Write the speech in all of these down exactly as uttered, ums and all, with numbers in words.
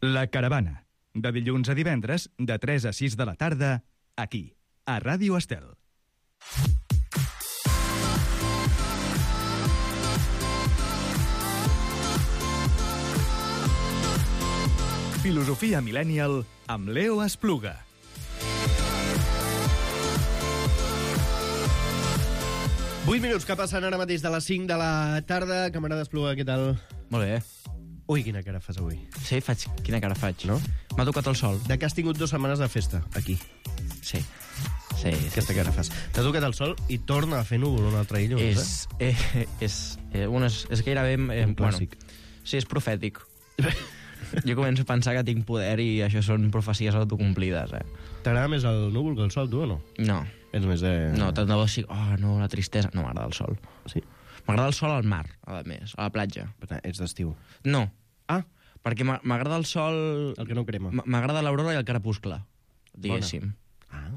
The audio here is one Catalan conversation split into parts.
La Caravana, de dilluns a divendres, de tres a sis de la tarda, aquí, a Ràdio Estel. Filosofia Millennial amb Leo Espluga. vuit minuts que passen ara mateix de les cinc de la tarda. Camarada Espluga, què tal? Molt bé. Ui, quina cara fas avui. Sí, faig... Quina cara faig? No? M'ha tocat el sol. De que has tingut dues setmanes de festa, aquí. Sí. Sí, sí. Aquesta cara fas. T'ha tocat el sol i torna a fer núvol un altre dilluns, És... eh? Eh, és, eh, bueno, és, és gairebé... Eh, Un clàssic. Bueno, sí, és profètic. Jo començo a pensar que tinc poder i això són profecies autocomplides, eh? T'agrada més el núvol que el sol, tu, o no? No. Ets més de... No, tant de bo així... Oh, no, la tristesa. No, m'agrada el sol. Sí? M'agrada el sol al mar, a més, a la platja. Per tant, ets d'estiu. No, Ah, perquè m'a- m'agrada el sol... el que no crema. m- M'agrada l'aurora i el crepuscle, diguéssim. Ah,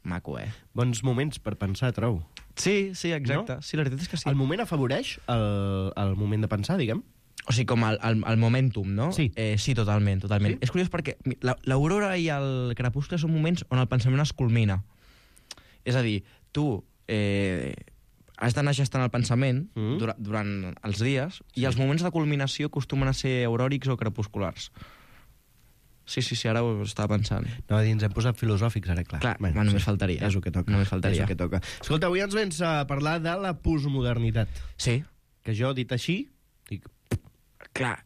Maco, eh? bons moments per pensar, trobo. Sí, sí, exacte. No? Sí, la veritat és que sí. El moment afavoreix el, el moment de pensar, diguem? O sigui, com el, el, el momentum, no? Sí. Eh, sí, totalment, totalment. Sí? És curiós perquè mi- la- l'aurora i el crepuscle són moments on el pensament es culmina. És a dir, tu eh, has d'anar gestant el pensament Mm. dura, durant els dies i els moments de culminació acostumen a ser auròrics o crepusculars. Sí, sí, sí, ara ho estava pensant. No, ens hem posat filosòfics, ara, clar. Clar, bueno, només faltaria. És el que toca. Només faltaria. És el que toca. Escolta, avui ens vens a parlar de la postmodernitat. Sí, Que jo, dit així, dic... clar,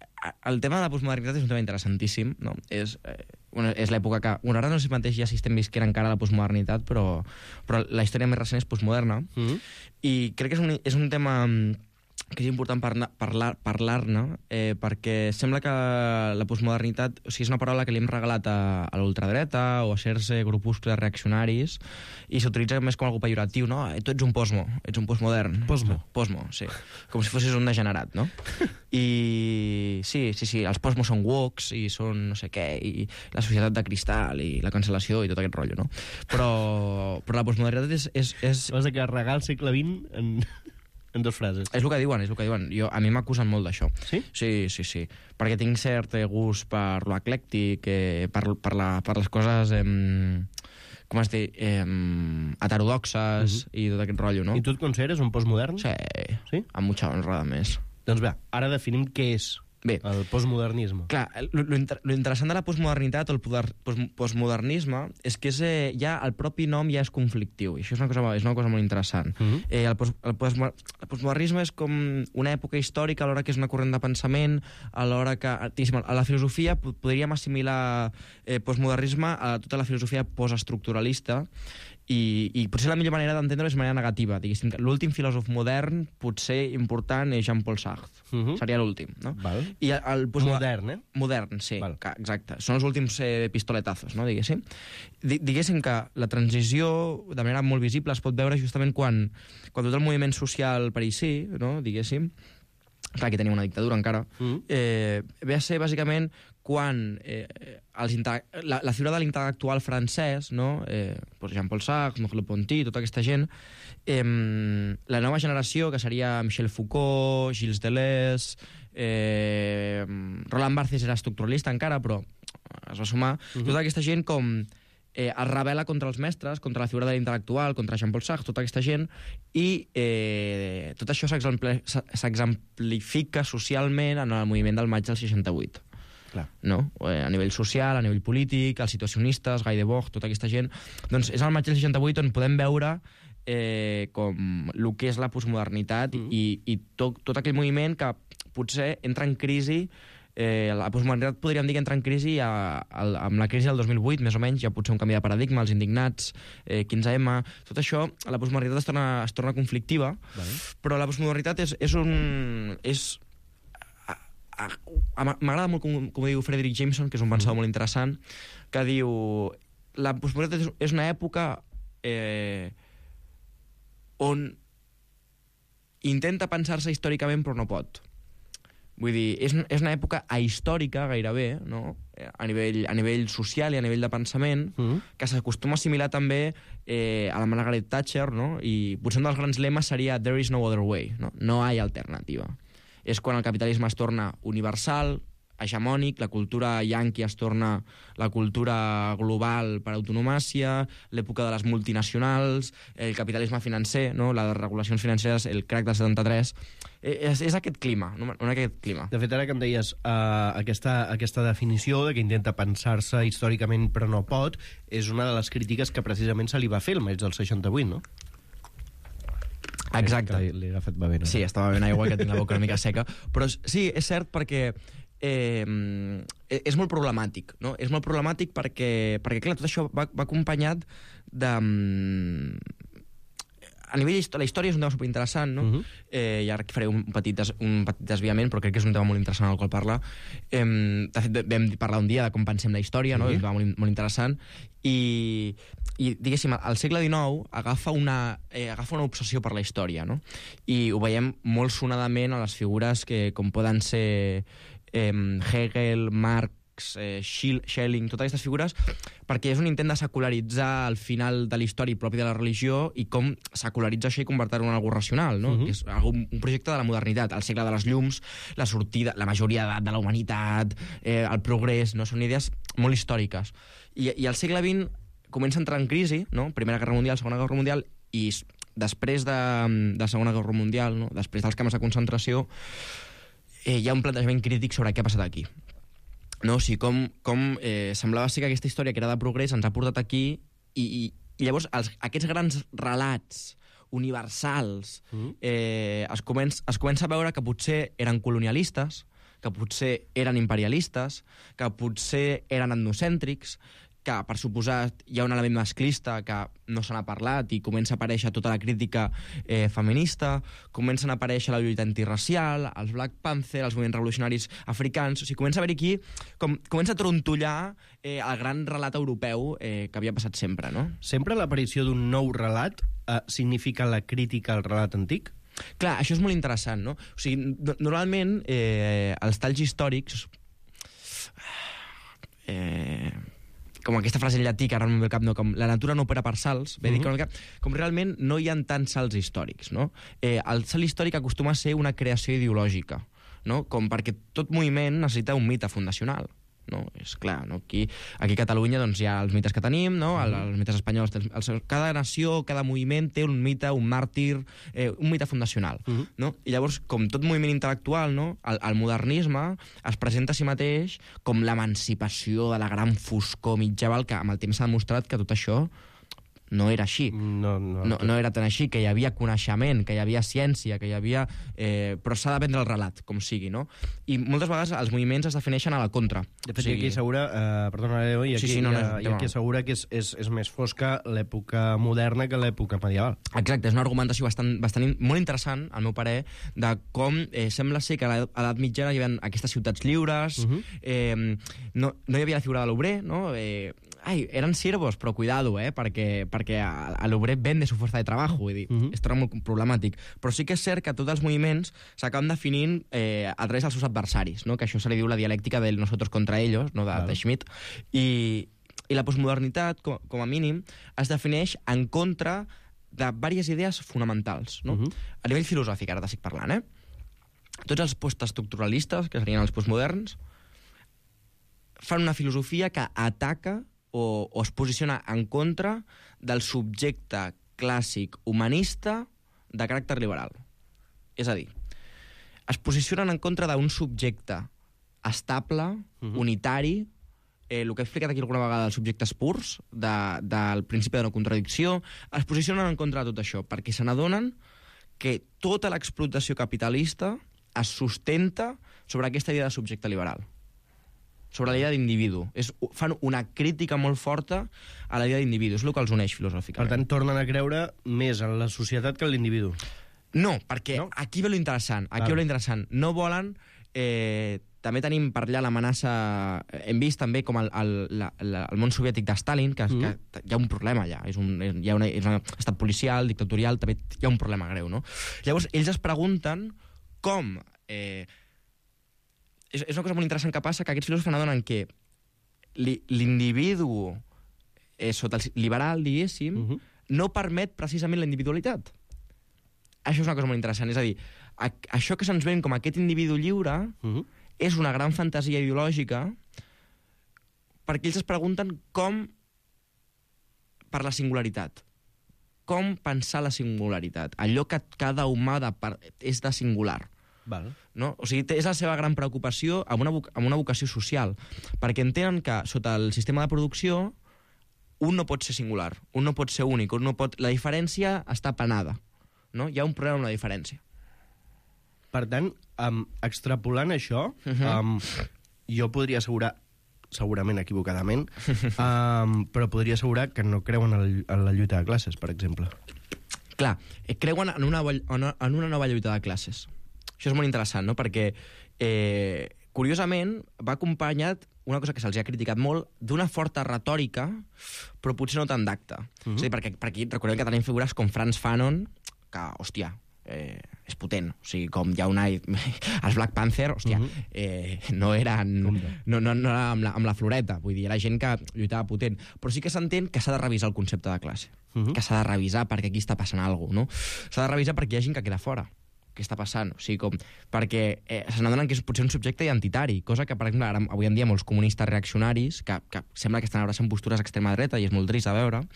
el tema de la postmodernitat és un tema interessantíssim, no? És, eh, bueno, és l'època que... Bueno, ara no sé mateix ja si estem visquent encara la postmodernitat, però, però la història més recent és postmoderna, Mm. i crec que és un, és un tema mm, que és important parlar, parlar, parlar-ne, eh, perquè sembla que la postmodernitat, o sigui, és una paraula que li hem regalat a, a l'ultradreta o a certs eh, grupuscles reaccionaris, i s'utilitza més com algo pejoratiu, no? Eh, tu ets un posmo, ets un postmodern. Posmo. Posmo, sí. Com si fossis un degenerat, no? I sí, sí, sí, els posmos són woks i són no sé què, i la societat de cristal i la cancel·lació i tot aquest rotllo, no? Però, però la postmodernitat és, és, és, Vas de carregar el segle vint en, en dues frases. és el que diuen, és el que diuen. Jo, a mi m'acusen molt d'això. Sí? Sí, sí, sí. Perquè tinc cert eh, gust per lo eclèctic, eh, per, per, la, per les coses... Eh, com es diu? Eh, heterodoxes Mhm. i tot aquest rotllo, no? I tu et consideres un postmodern? Sí, Sí? amb mucha honra, a més. Doncs bé, ara definim què és Bé, el postmodernisme. clar, lo, lo, inter, lo interessant de la postmodernitat o el poder, post, postmodernisme és que és, eh, ja el propi nom ja és conflictiu, i això és una cosa, és una cosa molt interessant. Mhm. eh, el, post, el, postmo, el postmodernisme és com una època històrica, alhora que és una corrent de pensament, alhora que... diguéssim, a la filosofia po- podríem assimilar eh, postmodernisme a tota la filosofia postestructuralista, i, i potser la millor manera d'entendre és de manera negativa. Diguéssim que l'últim filòsof modern, potser important, és Jean-Paul Sartre. Mhm. Seria l'últim, no? Val. I el, el postmoder- Modern, eh? Modern, sí, Val. que, exacte. Són els últims eh, pistoletazos, no, diguéssim. Di diguéssim que la transició, de manera molt visible, es pot veure justament quan, quan tot el moviment social parisí, no, diguéssim, clar, que tenia una dictadura encara, Mm. eh, ve a ser bàsicament quan eh, els inte- la, la figura de l'intel·lectual francès, no? eh, pues Jean-Paul Sartre, Merleau-Ponty, tota aquesta gent, eh, la nova generació, que seria Michel Foucault, Gilles Deleuze, eh, Roland Barthes era estructuralista encara, però es va sumar, Mhm. tota aquesta gent com eh, es rebel·la contra els mestres, contra la figura de l'intel·lectual, contra Jean-Paul Sartre, tota aquesta gent, i eh, tot això s'exempli- s'exemplifica socialment en el moviment del maig del seixanta-vuit. Clar. No? Eh, a nivell social, a nivell polític, els situacionistes, Guy Debord, tota aquesta gent. Doncs és al maig del seixanta-vuit on podem veure eh, com el que és la postmodernitat Mm. i, i tot, tot aquell moviment que potser entra en crisi. Eh, la postmodernitat podríem dir que entra en crisi a, a, amb la crisi del dos mil vuit, més o menys, ja potser un canvi de paradigma, els indignats, eh, quinze eme, tot això, la postmodernitat es torna, es torna conflictiva, Vale. però la postmodernitat és, és un... És, a- a- a- m'agrada molt com, com diu Frederick Jameson, que és un pensador molt interessant, que diu la postmodernitat és, és una època eh, on intenta pensar-se històricament però no pot. Vull dir, és, és una època ahistòrica gairebé, no? a, nivell, a nivell social i a nivell de pensament, Mm. que s'acostuma a assimilar també eh, a la Margaret Thatcher, no? I potser un dels grans lemes seria "There is no other way", no, no hay alternativa. És quan el capitalisme es torna universal, hegemònic, la cultura yanqui es torna la cultura global per autonomàcia, l'època de les multinacionals, el capitalisme financer, no? Les regulacions financeres, el crac del setanta-tres... És, és aquest clima, no? no aquest clima. De fet, ara que em deies uh, aquesta, aquesta definició de que intenta pensar-se històricament però no pot, és una de les crítiques que precisament se li va fer el maig del seixanta-vuit, no? Exacte. L'he agafat bevent. Sí, estava bevent aigua, que tinc la boca una mica seca. Però sí, és cert perquè eh, és molt problemàtic, no? És molt problemàtic perquè, perquè clar, tot això va, va acompanyat de... A nivell històric, la història és un tema superinteressant, no? Uh-huh. eh, I ara faré un petit, des, un petit desviament, però crec que és un tema molt interessant al qual parlar. Eh, de fet, vam parlar un dia de com pensem la història, no? Uh-huh. És un tema molt, molt interessant. I, i diguéssim, el segle dinou agafa una, eh, agafa una obsessió per la història, no? I ho veiem molt sonadament a les figures que, com poden ser eh, Hegel, Marx, Eh, Schelling, totes aquestes figures, perquè és un intent de secularitzar el final de la història propi de la religió i com secularitza això i convertir-ho en algo racional, no? Uh-huh. Que és un, un projecte de la modernitat, el segle de les llums, la sortida, la majoria d'edat de la humanitat, eh, el progrés, no? Són idees molt històriques. I, i el segle vint comença a entrar en crisi, no? Primera Guerra Mundial, Segona Guerra Mundial, i després de, de la Segona Guerra Mundial, no? Després dels camps de concentració, eh, hi ha un plantejament crític sobre què ha passat aquí. No? O sigui, com, com eh, semblava ser que aquesta història que era de progrés ens ha portat aquí i, i, i llavors els, aquests grans relats universals mm. eh, es, comença, es comença a veure que potser eren colonialistes, que potser eren imperialistes, que potser eren etnocèntrics, que, per suposat, hi ha un element masclista que no se n'ha parlat i comença a aparèixer tota la crítica eh, feminista, comencen a aparèixer la lluita antirracial, els Black Panther, els moviments revolucionaris africans... O sigui, comença a haver aquí... Com, comença a trontollar eh, el gran relat europeu eh, que havia passat sempre, no? Sempre l'aparició d'un nou relat eh, significa la crítica al relat antic? Clar, això és molt interessant, no? O sigui, no, normalment eh, els talls històrics... Eh... com aquesta frase en llatí que ara no em ve al cap, no, com la natura no opera per salts, uh-huh. dir, com, com realment no hi ha tants salts històrics, no? Eh, el salt històric acostuma a ser una creació ideològica, no? Com perquè tot moviment necessita un mite fundacional, no? És clar, no? Aquí, aquí a Catalunya doncs, hi ha els mites que tenim, no? El, els mites espanyols, els, cada nació, cada moviment té un mite, un màrtir, eh, un mite fundacional, uh-huh. no? I llavors, com tot moviment intel·lectual, no? el, el modernisme es presenta a si mateix com l'emancipació de la gran foscor mitjaval, que amb el temps s'ha demostrat que tot això no era així. No, no, no, no era tan així, que hi havia coneixement, que hi havia ciència, que hi havia... Eh, però s'ha de vendre el relat, com sigui, no? I moltes vegades els moviments es defineixen a la contra. De fet, o sigui... aquí assegura... Eh, perdona, Leo, i aquí, sí, sí, no, no, i aquí assegura que és, és, és més fosca l'època moderna que l'època medieval. Exacte, és una argumentació bastant, bastant molt interessant, al meu parer, de com eh, sembla ser que a l'edat mitjana hi havia aquestes ciutats lliures, uh-huh. eh, no, no hi havia la figura de l'obrer, no? Eh, ai, eren siervos, però cuidado, eh, perquè, perquè a, a l'obrer vende su fuerza de trabajo, vull dir, uh-huh. és tot molt problemàtic. Però sí que és cert que tots els moviments s'acaben definint eh, a través dels seus adversaris, no? Que això se li diu la dialèctica del nosotros contra ellos, no? de, claro. de Schmitt, i, i la postmodernitat, com, com a mínim, es defineix en contra de diverses idees fonamentals, no? Uh-huh. A nivell filosòfic, ara t'estic parlant, eh? Tots els postestructuralistes, que serien els postmoderns, fan una filosofia que ataca o, o es posiciona en contra del subjecte clàssic humanista de caràcter liberal. És a dir, es posicionen en contra d'un subjecte estable, uh-huh. unitari, eh, el que he explicat aquí alguna vegada dels subjectes purs, de, del principi de no contradicció, es posicionen en contra de tot això, perquè se n'adonen que tota l'explotació capitalista es sustenta sobre aquesta idea de subjecte liberal, sobre la idea d'individu. És, fan una crítica molt forta a la idea d'individu. És el que els uneix filosòficament. Per tant, tornen a creure més en la societat que en l'individu. No, perquè no? Aquí ve lo interessant. Aquí ve lo interessant. No volen... Eh, també tenim per allà l'amenaça... Hem vist també com el, el, la, la, el món soviètic de Stalin, que, mm. que hi ha un problema allà. És un, hi ha una, és un estat policial, dictatorial, també hi ha un problema greu, no? Llavors, ells es pregunten com... Eh, És, és una cosa molt interessant que passa, que aquests filòsofs n'adonen que li, l'individu eh, sota el liberal, diguéssim, uh-huh. no permet precisament la individualitat. Això és una cosa molt interessant. És a dir, a, això que se'ns ven com aquest individu lliure uh-huh. és una gran fantasia ideològica perquè ells es pregunten com per la singularitat. Com pensar la singularitat. Allò que cada humà de part és de singular. Val. No? O sigui, és la seva gran preocupació amb una, amb una vocació social, perquè entenen que sota el sistema de producció un no pot ser singular, un no pot ser únic, un no pot... la diferència està penada. No? Hi ha un problema amb la diferència. Per tant, um, extrapolant això, uh -huh. um, jo podria assegurar, segurament equivocadament, um, però podria assegurar que no creuen en, el, en la lluita de classes, per exemple. Clar, creuen en una, en una nova lluita de classes. Això és molt interessant, no? Perquè, eh, curiosament, va acompanyat una cosa que se'ls ha criticat molt, d'una forta retòrica, però potser no tan d'acte. Uh -huh. És a dir, perquè, perquè recordem que tenim figures com Frantz Fanon, que, hòstia, eh, és potent. O sigui, com hi ha una... Els Black Panther, hòstia, uh -huh. eh, no eren... No, no, no era amb la, amb la floreta. Vull dir, era gent que lluitava potent. Però sí que s'entén que s'ha de revisar el concepte de classe. Uh -huh. Que s'ha de revisar perquè aquí està passant alguna cosa, no? S'ha de revisar perquè hi ha gent que queda fora. Què està passant? O sigui, com... Perquè eh, se n'adonen que és potser un subjecte identitari, cosa que, per exemple, ara, avui en dia molts comunistes reaccionaris, que, que sembla que estan abraçant postures extrema dreta, i és molt trist de veure,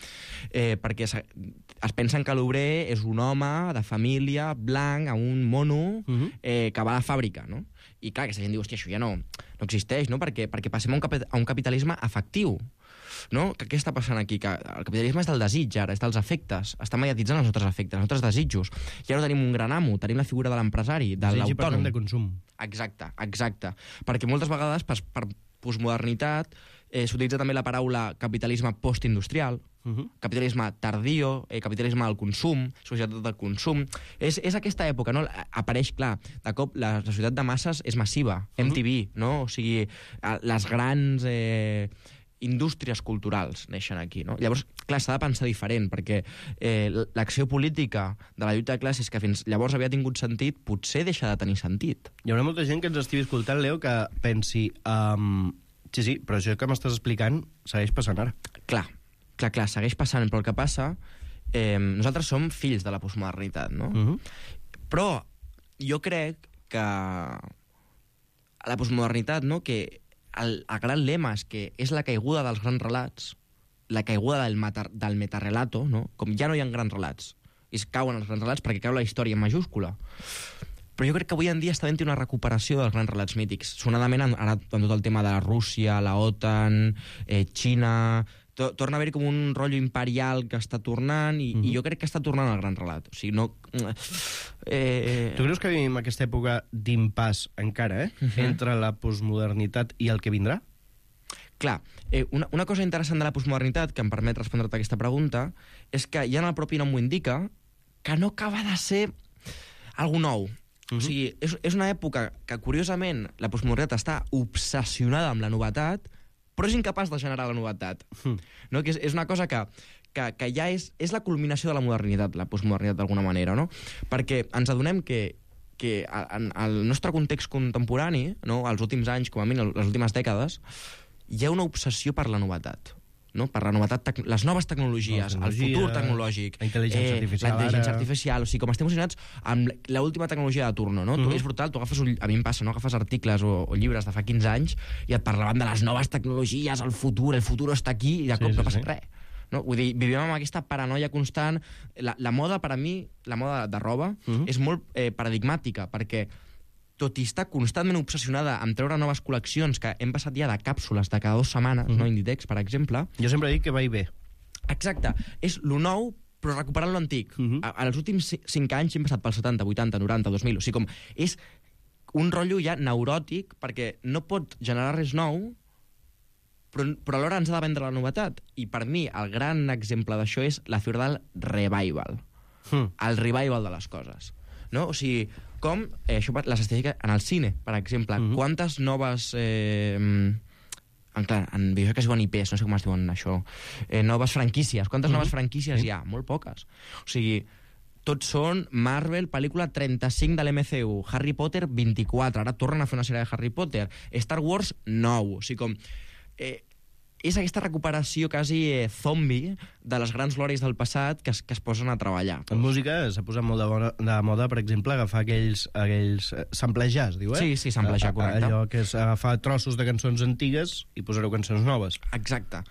eh, perquè es, es pensen que l'obrer és un home de família, blanc, amb un mono, eh, que va a la fàbrica, no? I clar, aquesta gent diu, hòstia, això ja no, no existeix, no? Perquè, perquè passem a un, cap, a un capitalisme afectiu. No? Que, què està passant aquí? Que el capitalisme és del desig, ara, és dels afectes. Està mediatitzant els nostres afectes, els nostres desitjos. Ja no tenim un gran amo, tenim la figura de l'empresari, de desig l'autònom. de consum. Exacte, exacte. Perquè moltes vegades, per, per postmodernitat, eh, s'utilitza també la paraula capitalisme postindustrial, uh -huh. capitalisme tardío, eh, capitalisme del consum, societat del consum. És, és aquesta època, no? Apareix, clar, de cop la, la societat de masses és massiva, uh -huh. M T V, no? O sigui, les grans... Eh, indústries culturals neixen aquí, no? Llavors, clar, s'ha de pensar diferent, perquè eh, l'acció política de la lluita de classes, que fins llavors havia tingut sentit, potser deixa de tenir sentit. Hi haurà molta gent que ens estigui escoltant, Leo, que pensi... Um, sí, sí, però això que m'estàs explicant segueix passant ara. Clar, clar, clar, segueix passant, però el que passa... Eh, nosaltres som fills de la postmodernitat, no? Uh -huh. Però jo crec que la postmodernitat, no?, que El, el gran lema és que és la caiguda dels grans relats, la caiguda del, meta, del metarrelato, no? Com ja no hi ha grans relats, i es cauen els grans relats perquè cau la història en majúscula. Però jo crec que avui en dia està havent una recuperació dels grans relats mítics. Sonadament, ara, amb tot el tema de la Rússia, la OTAN, eh, Xina... To, torna a haver com un rotllo imperial que està tornant, i, mm-hmm. i jo crec que està tornant el gran relat. O sigui, no... Eh... Tu creus que vivim aquesta època d'impàs encara, eh? Uh-huh. Entre la postmodernitat i el que vindrà? Clar, eh, una, una cosa interessant de la postmodernitat, que em permet respondre-te aquesta pregunta, és que ja en el propi nom ho indica, que no acaba de ser algo nou. Uh-huh. O sigui, és, és una època que, curiosament, la postmodernitat està obsessionada amb la novetat, però és incapaç de generar la novetat. Mm. No? Que és, és una cosa que, que, que ja és, és la culminació de la modernitat, la postmodernitat d'alguna manera, no? Perquè ens adonem que, que en el nostre context contemporani, no? Els últims anys, com a mínim, les últimes dècades, hi ha una obsessió per la novetat. No? Per la novetat, les noves tecnologies, el futur tecnològic, la intel·ligència eh, artificial, la intel·ligència artificial, o sigui, com estem emocionats amb l'última tecnologia de turno, no? Uh-huh. Tu, és brutal, tu agafes, un, a mi em passa, no? Agafes articles o, o llibres de fa quinze anys i et parlaven de les noves tecnologies, el futur, el futur està aquí, i de cop sí, no passa sí. res. No? Vull dir, vivim amb aquesta paranoia constant. La, la moda, per a mi, la moda de roba, uh-huh. és molt eh, paradigmàtica, perquè tot i estar constantment obsessionada amb treure noves col·leccions, que hem passat ja de càpsules de cada dues setmanes, mm-hmm. no? Inditex, per exemple. Jo sempre dic que va i ve. Exacte. És lo nou, però recuperant lo antic. Mm-hmm. A, en els últims cinc anys hem passat pel setanta, vuitanta, noranta, dos mil. O sigui, com és un rotllo ja neuròtic, perquè no pot generar res nou, però, però alhora ens ha de vendre la novetat. I per mi, el gran exemple d'això és la figura del revival. Mm. El revival de les coses. No? O sigui, com eh, això, les estadístiques en el cine, per exemple, mm-hmm. quantes noves eh, en, clar, en videojocs que es diuen I Ps, no sé com es diuen això, eh, noves franquícies, quantes mm-hmm. noves franquícies mm-hmm. hi ha? Molt poques. O sigui, tots són Marvel, pel·lícula trenta-cinc de l'M C U, Harry Potter vint-i-quatre, ara tornen a fer una sèrie de Harry Potter, Star Wars nou, o sigui com eh, és aquesta recuperació quasi eh, zombi de les grans glòries del passat que es, que es posen a treballar. En música s'ha posat molt de moda, de moda, per exemple, agafar aquells, aquells eh, samplejar, es diu, eh? Sí, sí, samplejar, correcte. Allò que és agafar trossos de cançons antigues i posar-ho cançons noves. Exacte.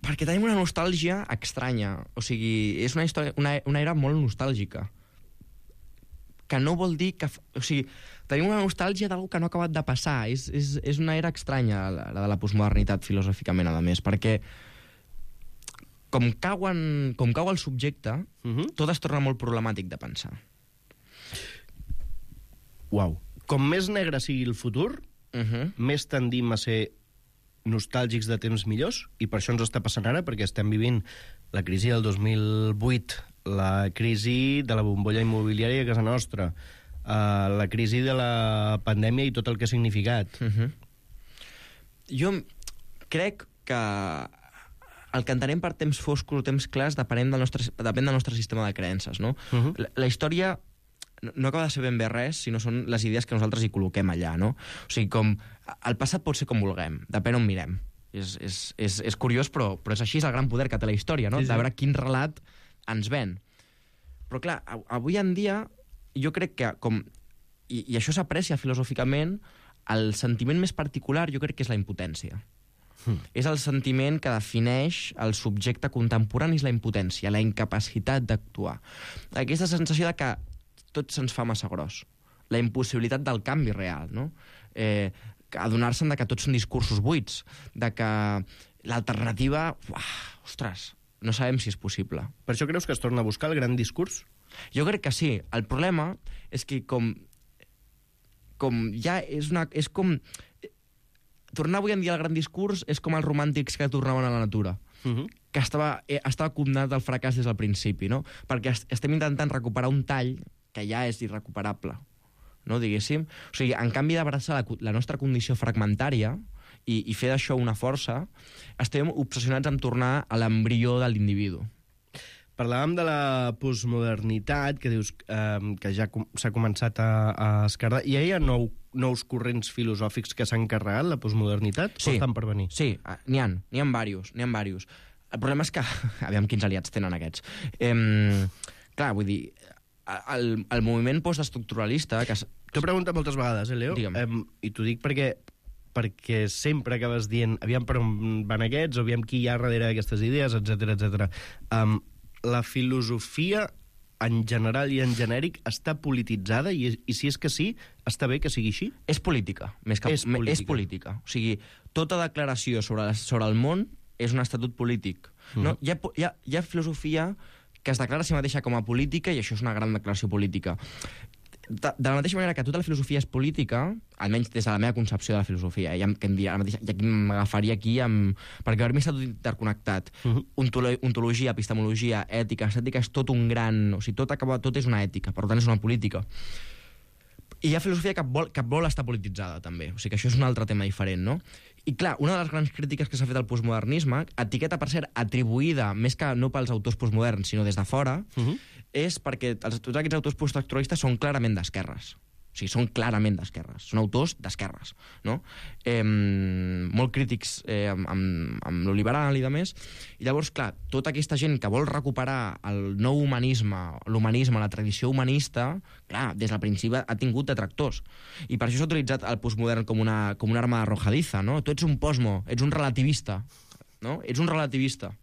Perquè tenim una nostàlgia estranya. O sigui, és una, història, una, una era molt nostàlgica. Que no vol dir que... O sigui, tenim una nostàlgia d'algú que no ha acabat de passar. És, és, és una era estranya, la, la de la postmodernitat, filosòficament, a més, perquè com, cauen, com cau el subjecte, uh -huh. tot es torna molt problemàtic de pensar. Uau. Com més negre sigui el futur, uh -huh. més tendim a ser nostàlgics de temps millors, i per això ens està passant ara, perquè estem vivint la crisi del dos mil vuit, la crisi de la bombolla immobiliària a casa nostra, uh, la crisi de la pandèmia i tot el que ha significat. Uh-huh. Jo crec que el que entenem per temps foscos o temps clars depèn del nostre, depèn del nostre sistema de creences, no? Uh-huh. La, la història no acaba de ser ben bé res, sinó són les idees que nosaltres hi col·loquem allà, no? O sigui, com el passat pot ser com vulguem, depèn on mirem. És, és, és, és curiós, però, però és així, és el gran poder que té la història, no? Sí, sí. De veure quin relat ens ven. Però, clar, avui en dia, jo crec que, com i, i això s'aprecia filosòficament, el sentiment més particular jo crec que és la impotència. Mm. És el sentiment que defineix el subjecte contemporani, és la impotència, la incapacitat d'actuar. Aquesta sensació de que tot se'ns fa massa gros. La impossibilitat del canvi real, no? Eh, adonar-se'n de que tots són discursos buits, de que l'alternativa... Uah, ostres, no sabem si és possible. Per això creus que es torna a buscar el gran discurs? Jo crec que sí. El problema és que com... com ja és una... és com... tornar avui en dia al gran discurs és com els romàntics que tornaven a la natura. Uh-huh. Que estava, eh, estava condemnat al fracàs des del principi, no? Perquè est estem intentant recuperar un tall que ja és irrecuperable, no, diguéssim. O sigui, en canvi d'abraçar la, la nostra condició fragmentària i, i fer d'això una força, estem obsessionats en tornar a l'embrió de l'individu. Parlàvem de la postmodernitat, que dius eh, que ja com, s'ha començat a, a esquerdar. Hi ha nou, nous corrents filosòfics que s'han carregat la postmodernitat? Sí, o estan per venir? Sí, n'hi ha, n'hi ha diversos, n'hi ha diversos. El problema és que, aviam quins aliats tenen aquests. Eh, clar, vull dir, el, el moviment postestructuralista... Que... T'ho preguntat moltes vegades, eh, Leo? Eh, I t'ho dic perquè, perquè sempre acabes dient aviam per on van aquests, o aviam qui hi ha darrere d'aquestes idees, etcètera, etcètera. Um, la filosofia en general i en genèric està polititzada i, i si és que sí, està bé que sigui així? És política, més que... És política. És política. O sigui, tota declaració sobre, la, sobre el món és un estatut polític. Mm. No? Hi, ha, hi, ha, hi ha filosofia que es declara a si mateixa com a política i això és una gran declaració política. De, de la mateixa manera que tota la filosofia és política, almenys des de la meva concepció de la filosofia, i, que em diria, mateixa, i aquí m'agafaria aquí amb, perquè per mi està tot interconnectat. Uh-huh. Ontolo, ontologia, epistemologia, ètica, estètica és tot un gran... O sigui, tot, acaba, tot és una ètica, per tant és una política. I hi ha filosofia que vol, que vol estar polititzada, també. O sigui que això és un altre tema diferent, no? I clar, una de les grans crítiques que s'ha fet al postmodernisme, etiqueta per ser atribuïda, més que no pels autors postmoderns, sinó des de fora, uh-huh. és perquè els, tots aquests autors postestructuralistes són clarament d'esquerres. O sigui, són clarament d'esquerres. Són autors d'esquerres, no? Eh, molt crítics eh, amb, amb, amb lo liberal i de més. I llavors, clar, tota aquesta gent que vol recuperar el nou humanisme, l'humanisme, la tradició humanista, clar, des del principi ha tingut detractors. I per això s'ha utilitzat el postmodern com una, com una arma arrojadiza, no? Tu ets un posmo, ets un relativista, no? Ets un relativista.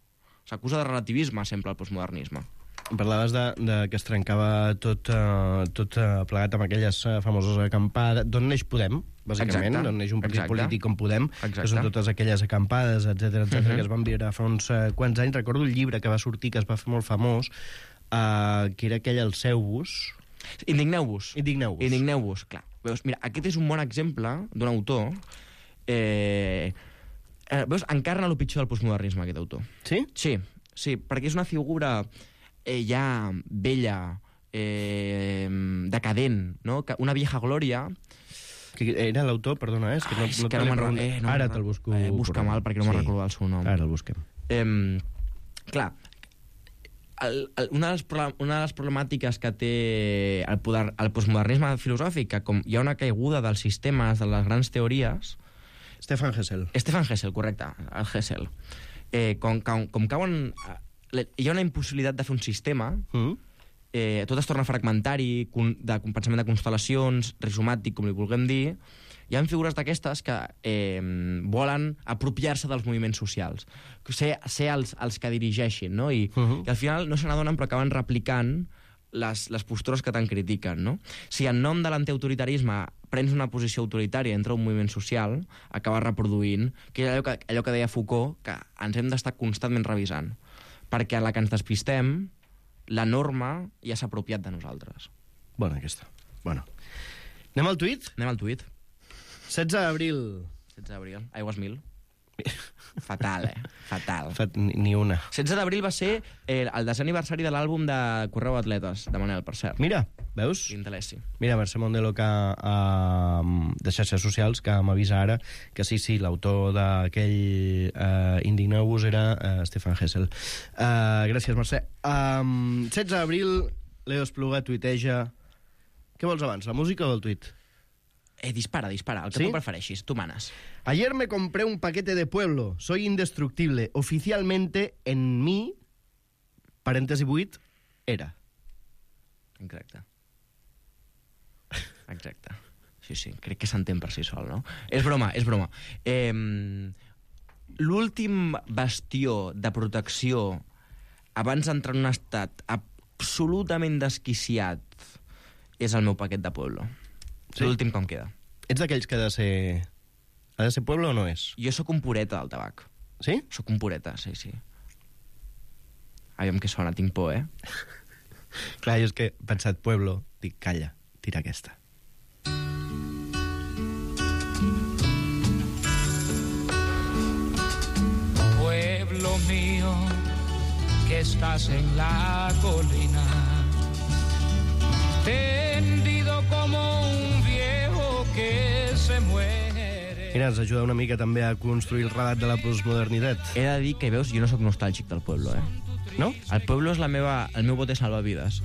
S'acusa de relativisme sempre el postmodernisme. Parlaves de, de que es trencava tot, uh, tot uh, plegat amb aquelles uh, famoses acampades. D'on neix Podem, bàsicament? D'on neix un partit Exacte. polític com Podem, Exacte. que són totes aquelles acampades, etcètera, etcètera, uh-huh. que es van viure fa uns uh, quants anys. Recordo el llibre que va sortir, que es va fer molt famós, uh, que era aquell El seu bus. Indigneu-vos. Indigneu-vos. Indigneu-vos, clar. Veus, mira, aquest és un bon exemple d'un autor... Eh, eh, veus, encarna el pitjor del postmodernisme, aquest autor. Sí? Sí, sí, perquè és una figura... Eh, ja vella, eh, decadent, no? Una vieja glòria... Que era l'autor, perdona, eh? És que no, Ai, és no que no me'n eh, no Ara te'l busco. Eh, busca mal, perquè no sí. me'n recordo el seu nom. Ara el busquem. Eh, clar, el, el, una, de les, una de les problemàtiques que té el, poder, el postmodernisme filosòfic, que com hi ha una caiguda dels sistemes, de les grans teories, Stefan Hessel. Stefan Hessel, correcte, el Hessel. Eh, com, com, com cauen... Hi ha una impossibilitat de fer un sistema, Mm. eh, tot es torna fragmentari, de pensament de constel·lacions, rizomàtic, com li vulguem dir. Hi ha figures d'aquestes que eh, volen apropiar-se dels moviments socials, ser, ser els, els que dirigeixin, no? I, Uh -huh. i al final no se n'adonen, però acaben replicant les, les postures que tant critiquen, no? Si en nom de l'antiautoritarisme prens una posició autoritària entre un moviment social, acabes reproduint, que és allò que, allò que deia Foucault, que ens hem d'estar constantment revisant, perquè a la que ens despistem, la norma ja s'ha apropiat de nosaltres. Bona, aquesta. Bueno. Anem al tuit? Anem al tuit. setze d'abril. setze d'abril. Aigües mil. Fatal, eh? Fatal. Fet, ni, ni una. setze d'abril va ser eh, el desè aniversari de l'àlbum de Correu Atletes, de Manel, per cert. Mira, veus? L'intelessi. Mira, Mercè Mondelo, que, uh, de xarxes socials, que m'avisa ara que sí, sí, l'autor d'aquell uh, Indigneu-vos era uh, Stefan Hessel. Uh, gràcies, Mercè. Um, setze d'abril, Leo Espluga tuiteja... Què vols abans, la música o el tuit? Eh, dispara, dispara, el que ¿Sí? tu prefereixis, tu manes. Ayer me compré un paquete de Pueblo. Soy indestructible. Oficialmente, en mí, parèntesi vuit, era. Exacte. Exacte. Sí, sí, crec que s'entén per si sol, no? És broma, és broma. Eh, L'últim bastió de protecció abans d'entrar en un estat absolutament desquiciat és el meu paquet de Pueblo. Sí? L'últim que em queda. Ets d'aquells que ha de ser... Ha de ser Pueblo o no és? Jo sóc un pureta del tabac. Sí? Sóc un pureta, sí, sí. Aviam què sona, tinc por, eh? Clar, jo és que he pensat Pueblo, dic, calla, tira aquesta. Pueblo mío, que estás en la colina, tendido como un viejo que se muere. Mira, ens ajuda una mica també a construir el relat de la postmodernitat. He de dir que, veus, jo no sóc nostàlgic del Pueblo, eh? No? El Pueblo és la meva, el meu bote salvavides.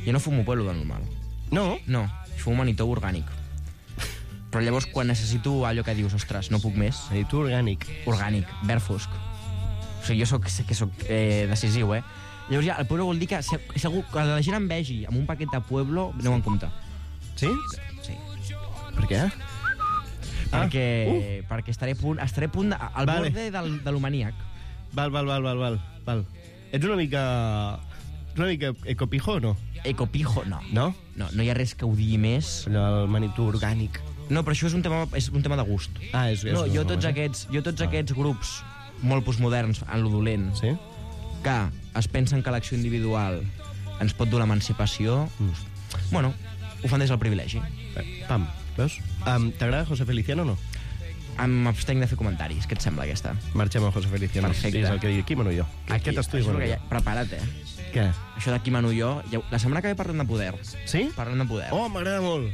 Jo no fumo Pueblo de normal. No? No, fumo manitó orgànic. Però llavors, quan necessito allò que dius, ostres, no puc més, I tu orgànic. orgànic, verd fosc. O sigui, jo soc, sé que soc eh, decisiu, eh? Llavors ja, el Pueblo vol dir que se- segur que la gent em vegi amb un paquet de Pueblo, aneu en compte. Sí? Sí. Per què? Ah, Perquè, uh. perquè estaré a punt, estaré a punt de, al Vale. borde del, de l'humaníac. Val, val, val, val, val, val. Ets una mica... una mica ecopijo o no? Ecopijo, no. No? No, no hi ha res que ho digui més. Allò, el manitú orgànic. No, però això és un tema, és un tema de gust. Ah, és... és No, jo tots eh? aquests, jo tots Ah. aquests grups molt postmoderns en lo dolent, Sí? que es pensen que l'acció individual ens pot dur l'emancipació, Mm. bueno, ho fan des del privilegi. Eh, Pam, veus? Um, T'agrada José Feliciano o no? Em abstenc de fer comentaris. Què et sembla, aquesta? Marxem a José Feliciano. Perfecte. Sí, és el que diu. Qui mano jo? Aquest estudi això és mano el que jo. hi ha. Prepara't, eh? Què? Això d'aquí mano jo... ja ho- La setmana que ve parlem de poder. Sí? Parlem de poder. Oh, m'agrada molt.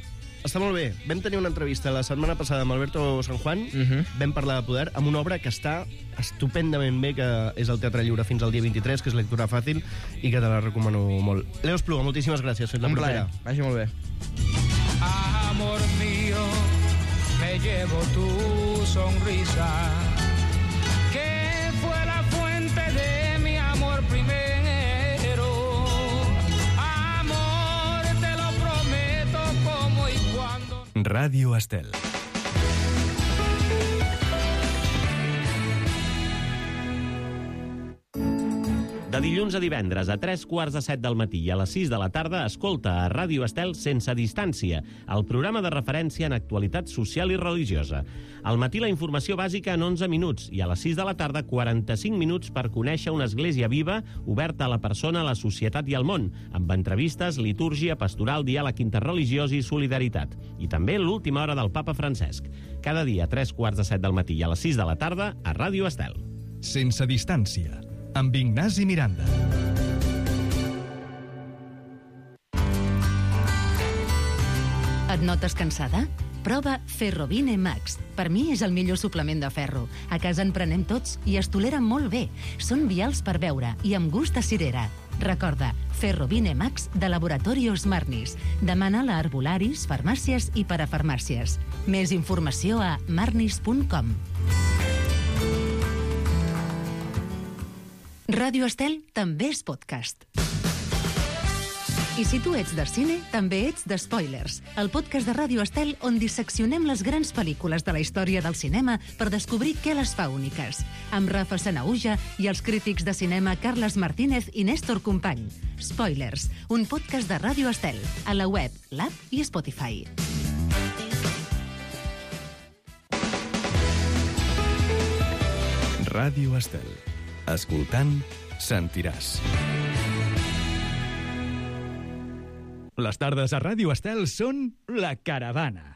Està molt bé. Vam tenir una entrevista la setmana passada amb Alberto San Juan. Mhm. Vam parlar de poder amb una obra que està estupendament bé, que és al Teatre Lliure fins al dia vint-i-tres, que és lectura fàcil i que te la recomano molt. Leo Espluga, moltíssimes gràcies. Fins la Un propera. plaer. Vagi molt bé. Amor mío, me llevo tu sonrisa, que fue la fuente de mi amor primero. Amor, te lo prometo como y cuando. Ràdio Estel. De dilluns a divendres, a tres quarts de set del matí i a les sis de la tarda, escolta a Ràdio Estel Sense Distància, el programa de referència en actualitat social i religiosa. Al matí la informació bàsica en onze minuts i a les sis de la tarda quaranta-cinc minuts per conèixer una església viva oberta a la persona, a la societat i al món, amb entrevistes, litúrgia, pastoral, diàleg interreligiós i solidaritat. I també l'última hora del papa Francesc. Cada dia a tres quarts de set del matí i a les sis de la tarda a Ràdio Estel. Sense distància, amb Ignasi Miranda. Et notes cansada? Prova Ferrovine Max. Per mi és el millor suplement de ferro. A casa en prenem tots i es tolera molt bé. Són vials per beure i amb gust a cirera. Recorda, Ferrovine Max de Laboratorios Marnis. Demana-la a herbolaris, farmàcies i parafarmàcies. Més informació a marnis punt com. Ràdio Estel també és podcast. I si tu ets de cine, també ets de Spoilers, el podcast de Ràdio Estel on disseccionem les grans pel·lícules de la història del cinema per descobrir què les fa úniques. Amb Rafa Sanauja i els crítics de cinema Carles Martínez i Néstor Company. Spoilers, un podcast de Ràdio Estel, a la web, l'app i Spotify. Ràdio Estel. Escoltant, sentiràs. Les tardes a Ràdio Estel són La Caravana.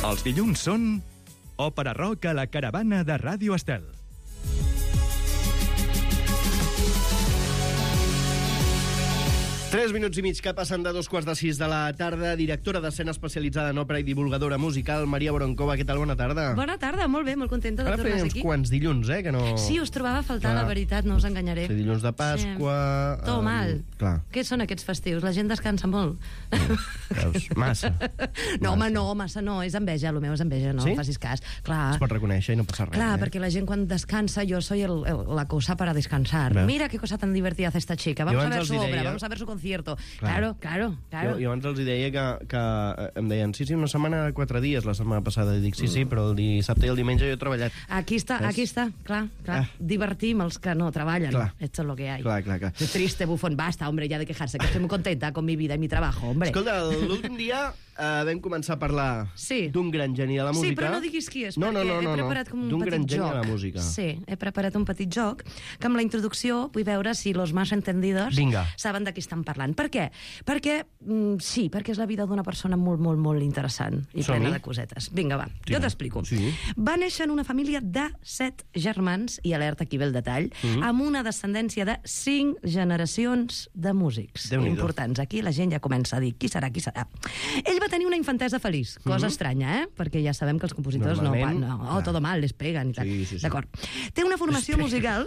Els dilluns són Òpera Rock a La Caravana de Ràdio Estel. Tres minuts i mig que passen de dos quarts de sis de la tarda. Directora d'escena especialitzada en òpera i divulgadora musical, Maria Boronkova. Què tal? Bona tarda. Bona tarda, molt bé, molt contenta de Ara tornar feia uns aquí. quants dilluns, eh? Que no... Sí, us trobava a faltar, Clar. la veritat, no us enganyaré. Sí, dilluns de Pasqua... Sí. Tot um, mal. Clar. Què són aquests festius? La gent descansa molt. Veus? Massa. No, home, no, massa no, és enveja, el meu és enveja, no Sí? facis cas. Clar, Es pot reconèixer i no passa res. Clar, eh? perquè la gent quan descansa, yo soy el, el, la cosa para descansar. Veus? Mira qué cosa tan divertida hace esta chica. Vamos a abans ver els su hi obra, deia- vamos a ver su concierto. Claro. Claro, claro, claro. Jo, jo abans els hi deia que, que eh, em deien sí, sí, una setmana de quatre dies la setmana passada. I dic, sí, sí, però el dissabte i el diumenge jo he treballat. Aquí está, ¿Ves? aquí está, clar, clar. Ah. Divertim els que no treballen. Clar. Esto es lo que hay. Clar, clar, clar. Qué triste, bufón. Basta, hombre, ya de quejarse, que estoy muy contenta con mi vida y mi trabajo, hombre. Escolta, l'últim dia eh, vam començar a parlar Sí. d'un gran geni de la música. Sí, però no diguis qui és, no, no, perquè no, no, he preparat com un d'un petit gran geni joc. de la música. Sí, he preparat un petit joc que amb la introducció vull veure si los más entendidos Vinga. saben de qui estan parlant. Per què? Perquè, mm, sí, perquè és la vida d'una persona molt, molt, molt interessant i Som-hi. plena de cosetes. Vinga, va, Sí, jo va. t'explico. Sí. Va néixer en una família de set germans, i alerta aquí ve el detall, Mhm. amb una descendència de cinc generacions de músics Déu-n'hi-do. importants. Aquí la gent ja comença a dir qui serà, qui serà. Ell va tenir una infantesa feliç, cosa estranya, eh? Perquè ja sabem que els compositors no, Normalment, van, no, oh, clar. todo mal, les peguen i tal. Sí, sí, sí. D'acord. Té una formació musical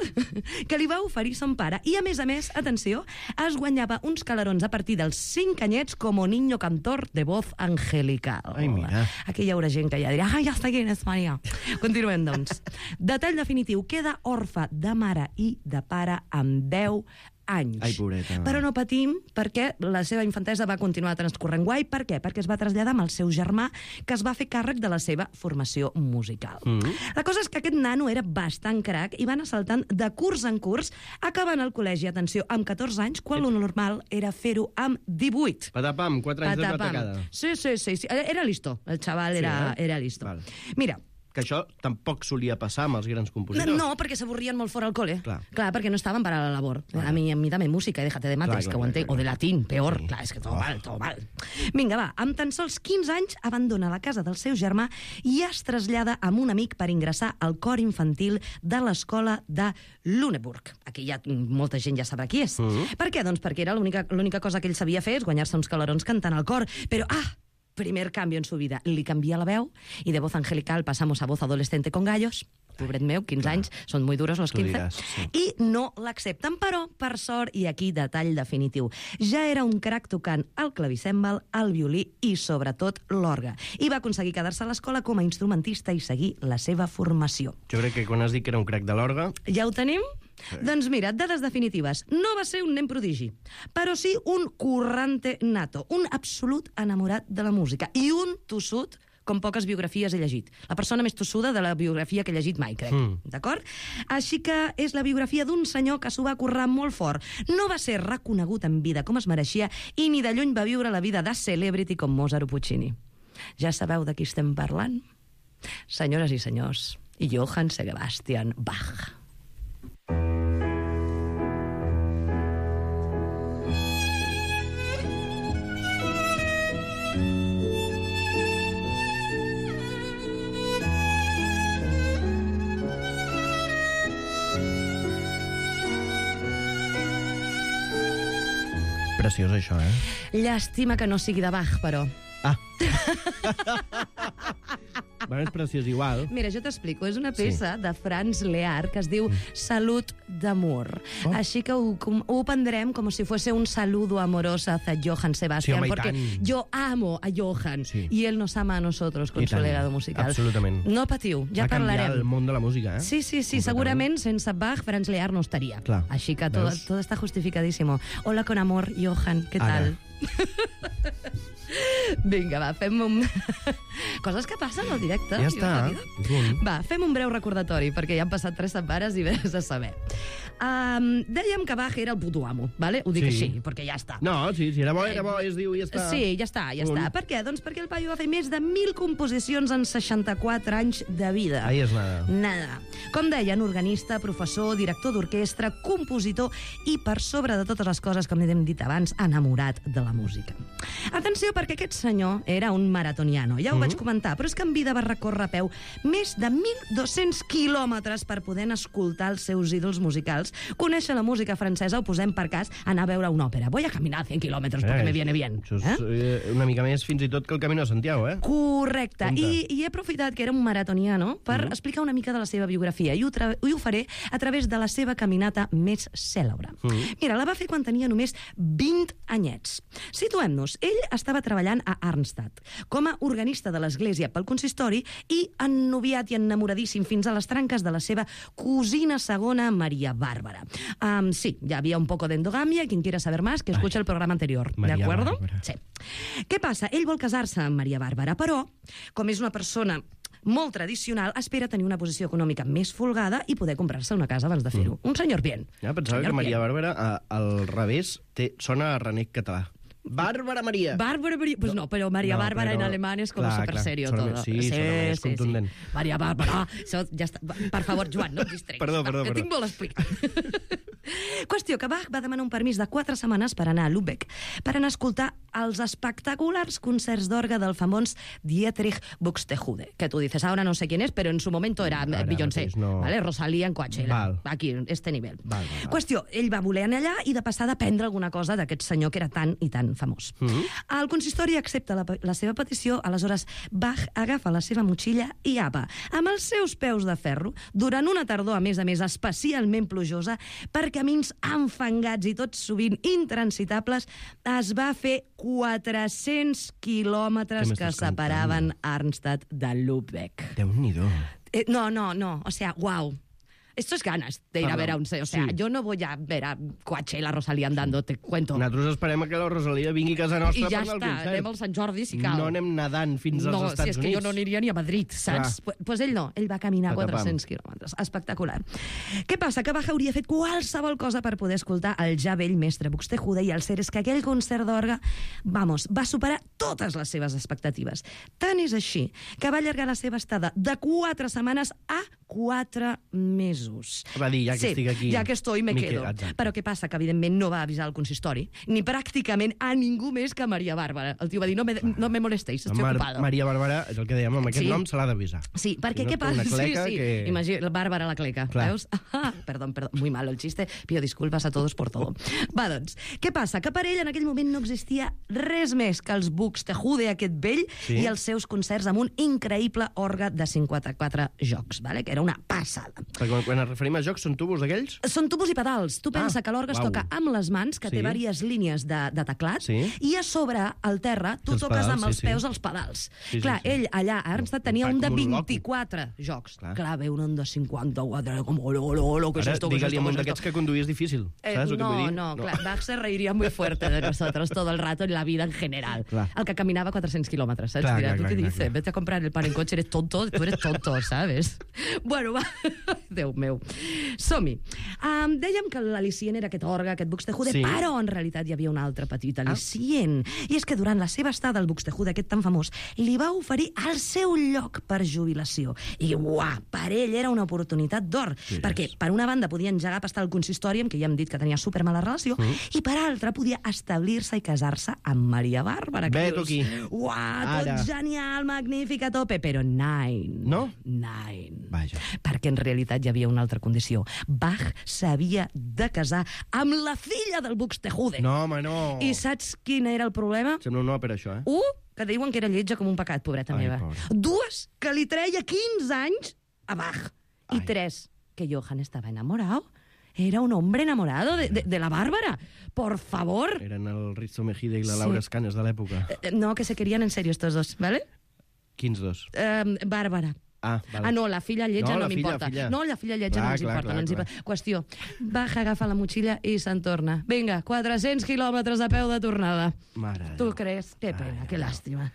que li va oferir son pare i, a més a més, atenció, es guanyava uns calarons a partir dels cinc anyets com a niño cantor de voz angelical. Ai, mira. Aquí hi haurà gent que ja dirà, ah, ja està quién és Maria. Continuem, doncs. Detall definitiu, queda orfe de mare i de pare amb deu anys. Ai, pobreta. Però no patim, perquè la seva infantesa va continuar transcorrent guai. Per què? Perquè es va traslladar amb el seu germà, que es va fer càrrec de la seva formació musical. Mm. La cosa és que aquest nano era bastant crac i va anar saltant de curs en curs, acabant el col·legi, atenció, amb catorze anys, quan lo normal era fer-ho amb divuit. Patapam, quatre anys de Patapam. patacada. Sí, sí, sí, sí. Era listo. El xaval Sí, era, eh? era listo. Val. Mira, Que això tampoc solia passar amb els grans no, compositors. no, perquè s'avorrien molt fora al col·le. Clar. Clar, perquè no estaven para la labor. A mi, a mi també música, i déjate de mates, Clar, clar, que ho clar, entenc. clar, O de clar. latín, peor. Sí. Clar, és que tot Oh. mal, tot mal. Vinga, va, amb tan sols quinze anys abandona la casa del seu germà i es trasllada amb un amic per ingressar al cor infantil de l'escola de Lüneburg. Aquí ja molta gent ja sabrà qui és. Mhm. Per què? Doncs perquè era l'única l'única cosa que ell sabia fer és guanyar-se uns calarons cantant al cor. Però, ah, primer cambio en su vida. Li canvia la veu i de voz angelical pasamos a voz adolescente con gallos. Pobret meu, quinze anys, són muy duros los Tu quinze. diràs, sí. I no l'accepten, però, per sort, i aquí detall definitiu, ja era un crac tocant el clavicèmbal, el violí i, sobretot, l'orgue. I va aconseguir quedar-se a l'escola com a instrumentista i seguir la seva formació. Jo crec que quan has dit que era un crac de l'orgue... Ja ho tenim? Sí. Doncs mira, dades definitives. No va ser un nen prodigi, però sí un currante nato, un absolut enamorat de la música i un tossut com poques biografies he llegit. La persona més tossuda de la biografia que he llegit mai, crec. Mm. D'acord? Així que és la biografia d'un senyor que s'ho va currar molt fort. No va ser reconegut en vida com es mereixia i ni de lluny va viure la vida de celebrity com Mozart o Puccini. Ja sabeu de qui estem parlant? Senyores i senyors, Johann Sebastian Bach. preciós, això, eh? Llàstima que no sigui de Bach, però. Ah. Bueno, és preciós igual. Mira, jo t'explico. És una peça sí. de Franz Lear que es diu Salut d'amor. Oh. Així que ho, com, ho prendrem com si fuese un saludo amoroso hacia Johann Sebastian, sí, home, porque yo amo a Johann sí. y él nos ama a nosotros con su legado musical. Absolutament. No patiu, ja Va parlarem. Va canviar el món de la música, eh? Sí, sí, sí, segurament sense Bach, Franz Lear no estaria. Clar. Així que todo, todo está justificadísimo. Hola con amor, Johann, què tal? Vinga, va, fem un... Coses que passen al directe. Ja està. Va, fem un breu recordatori, perquè ja han passat tres setmanes i vés a saber. Um, dèiem que Bach era el puto amo, ¿vale? Ho dic sí. així, perquè ja està. No, sí, si era bo, era bo, es diu i ja està. Sí, ja està, ja un. està. Per què? Doncs perquè el paio va fer més de mil composicions en seixanta-quatre anys de vida. Ahí és nada. Nada. Com deien, organista, professor, director d'orquestra, compositor i, per sobre de totes les coses, com hem dit abans, enamorat de la música. Atenció, perquè aquest senyor era un maratoniano, ja ho mm-hmm. vaig comentar, però és que en vida va recórrer a peu més de mil dos-cents quilòmetres per poder escoltar els seus ídols musicals, conèixer la música francesa, ho posem per cas, anar a veure una òpera. Voy a caminar cent quilòmetres eh, perquè me viene bien. Això és eh? una mica més fins i tot que el Camino de Santiago, eh? Correcte. I, I he aprofitat que era un maratoniano per mm-hmm. explicar una mica de la seva biografia i ho, tra- i ho faré a través de la seva caminata més cèlebre. Mm-hmm. Mira, la va fer quan tenia només vint anyets. Situem-nos. Ell estava treballant a Arnstadt com a organista de l'església pel consistori i ennoviat i enamoradíssim fins a les tranques de la seva cosina segona, Maria Bàrbara. Um, sí, ja havia un poco de endogamia, quien quiera saber más, que escucha el programa anterior, Maria ¿de acuerdo? Bàrbara. Sí. Què passa? Ell vol casar-se amb Maria Bàrbara, però, com és una persona molt tradicional, espera tenir una posició econòmica més folgada i poder comprar-se una casa abans de fer-ho. Mm. Un senyor bien. Ja pensava senyor que Maria bien. Bàrbara, a, al revés, té, sona a renec català. Bàrbara Maria. Bàrbara Maria. Pues no, però Maria no, Bàrbara però... en alemán es como clar, súper clar, serio sona, todo. Sí, sí, sona més sí, contundent. Sí. Maria Bàrbara. Això ja està. Per favor, Joan, no et distreguis. Perdó, perdó, Va, que perdó. tinc molt a explicar. Qüestió que Bach va demanar un permís de quatre setmanes per anar a Lübeck, per anar a escoltar els espectaculars concerts d'orgue del famós Dietrich Buxtehude, que tu dices, ahora no sé quién es, pero en su momento era Ara, Beyoncé, no... ¿vale? Rosalía en Coachella, Val. aquí, este nivel. Val, val, val. Qüestió, ell va voler anar allà i de passada prendre alguna cosa d'aquest senyor que era tan i tan famós. Mm-hmm. El consistori accepta la, la seva petició, aleshores Bach agafa la seva motxilla i apa, amb els seus peus de ferro, durant una tardor, a més a més, especialment plujosa, per camins enfangats i tots sovint intransitables, es va fer quatre-cents quilòmetres que separaven Arnstadt de Lübeck. Déu-n'hi-do. Eh, no, no, no, o sea, guau. Esto es ganas de ir Perdón. a ver a un... O sea, Sí. yo no voy a ver a Coachella, Rosalía andando, te cuento. Nosaltres esperem a que la Rosalia vingui a casa nostra I ja per anar al està, concert. anem al Sant Jordi si cal. No anem nedant fins als no, Estats si és que Units. jo no aniria ni a Madrid, saps? Doncs pues ell no, ell va caminar Patapam. quatre-cents quilòmetres. Espectacular. Què passa? Que Bach hauria fet qualsevol cosa per poder escoltar el ja vell mestre Buxtehude, i el cert és que aquell concert d'orgue, vamos, va superar totes les seves expectatives. Tant és així que va allargar la seva estada de quatre setmanes a quatre mesos. Va dir, ja que sí, estic aquí... ja que estoy, me, me quedo. quedo, exacte. Però què passa? Que, evidentment, no va avisar el consistori, ni pràcticament a ningú més que a Maria Bàrbara. El tio va dir, no me, no me molestéis, estoy Mar ocupado. Maria Bàrbara, és el que dèiem, amb aquest Sí. nom se l'ha d'avisar. Sí, perquè Si no què té passa? una cleca sí, sí. que- Imagina, Bàrbara la cleca, Clar. veus? Ah, perdón, perdón, muy malo el chiste. Pido disculpas a todos por todo. Va, doncs, què passa? Que per ell en aquell moment no existia res més que els Buxtehude, aquest vell, Sí. i els seus concerts amb un increïble orgue de cinquanta-quatre jocs, vale? Que era una passada. Perquè quan, quan ens referim a jocs, són tubos d'aquells? Són tubos i pedals. Tu pensa Ah, que l'orgue es uau. toca amb les mans, que Sí. té diverses línies de, de teclat, Sí. i a sobre, al terra, tu Els toques pedals, amb sí, els sí. peus els pedals. Sí, sí, Clar, sí. ell allà a Arnstadt tenia Fa un de com un loco. vint-i-quatre jocs. Clar. Clar, ve un de cinquanta-quatre, com, olo, olo, olo, que és Ara, esto, que és digue-li esto, a un que és d'aquests esto. que conduir és difícil. Eh, Saps el que no, vull dir? no, clar, Bach se reiría muy fuerte de nosotros todo el rato en la vida en general. Clar. El que caminava quatre-cents quilòmetres, saps? Clar, Dirà, clar, ¿tú clar, qué clar, dices? clar. Vete a comprar el pan en coche, eres tonto, tu eres tonto, ¿sabes? Bueno, va, Déu meu. Som-hi. Um, dèiem que l'al·licient era aquest orgue, aquest Buxtehude, Sí. però en realitat hi havia un altre petit al·licient. Ah. I és que durant la seva estada al Buxtehude, aquest tan famós, li va oferir el seu lloc per jubilació. I, uah, per ell era una oportunitat d'or. Sí, perquè, per una banda, podia engegar a pastar el consistori, amb qui ja hem dit que tenia supermala relació, mm. i per altra, podia establir-se i casar-se amb Maria Bàrbara. que Ve tu dius, aquí. Uah, tot Ara. genial, magnífic, a tope, però nine. No? Nine. Vaja. Perquè en realitat hi havia una altra condició. Bach s'havia de casar amb la filla del Buxtehude. No, home, no. I saps quin era el problema? Sembla un no per això, eh? Un, que diuen que era lletja com un pecat, pobreta Ai, meva. pobra. Dues, que li treia quinze anys a Bach. I Ai. tres, que Johann estava enamorado. Era un hombre enamorado de, de, de la Bárbara. Por favor. Eren el Risto Mejide i la Sí. Laura Escanes de l'època. Eh, No, que se querían en serio estos dos, ¿vale? Quins dos? Eh, Bàrbara. Ah, vale. Ah, no, la filla lletja No, no, la filla, m'importa. filla. No, la filla lletja Clar, no ens clar, importa. clar, no ens clar. importa. Qüestió, Bach agafa la motxilla i se'n torna. Vinga, quatre-cents quilòmetres a peu de tornada. Mare de Tu Déu. creus? Que pena, Ai, que ai, làstima.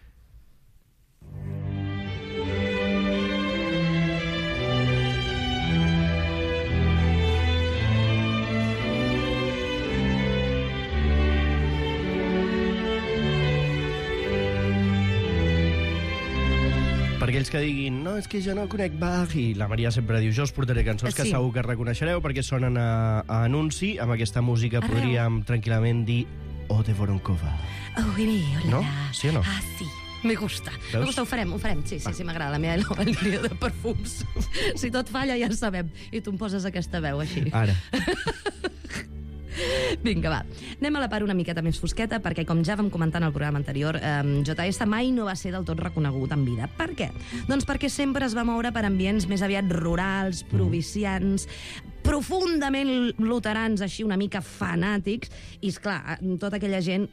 Per aquells que diguin, no, és que jo no conec Bach, i la Maria sempre diu, jo us portaré cançons que Sí. segur que reconeixereu, perquè sonen a, a anunci. Amb aquesta música Arreu. podríem tranquil·lament dir O de Voronkova. Oh, hola. No? Sí o no? Ah, sí. Me gusta. Veus? Me gusta, ho farem, ho farem. Sí, sí, sí, m'agrada la meva nova línia de perfums. Si tot falla, ja en sabem. I tu em poses aquesta veu així. Ara. Vinga, va. Anem a la part una miqueta més fosqueta, perquè, com ja vam comentar en el programa anterior, eh, J S mai no va ser del tot reconegut en vida. Per què? Doncs perquè sempre es va moure per ambients més aviat rurals, provincians, profundament luterans, així una mica fanàtics, i, esclar, tota aquella gent,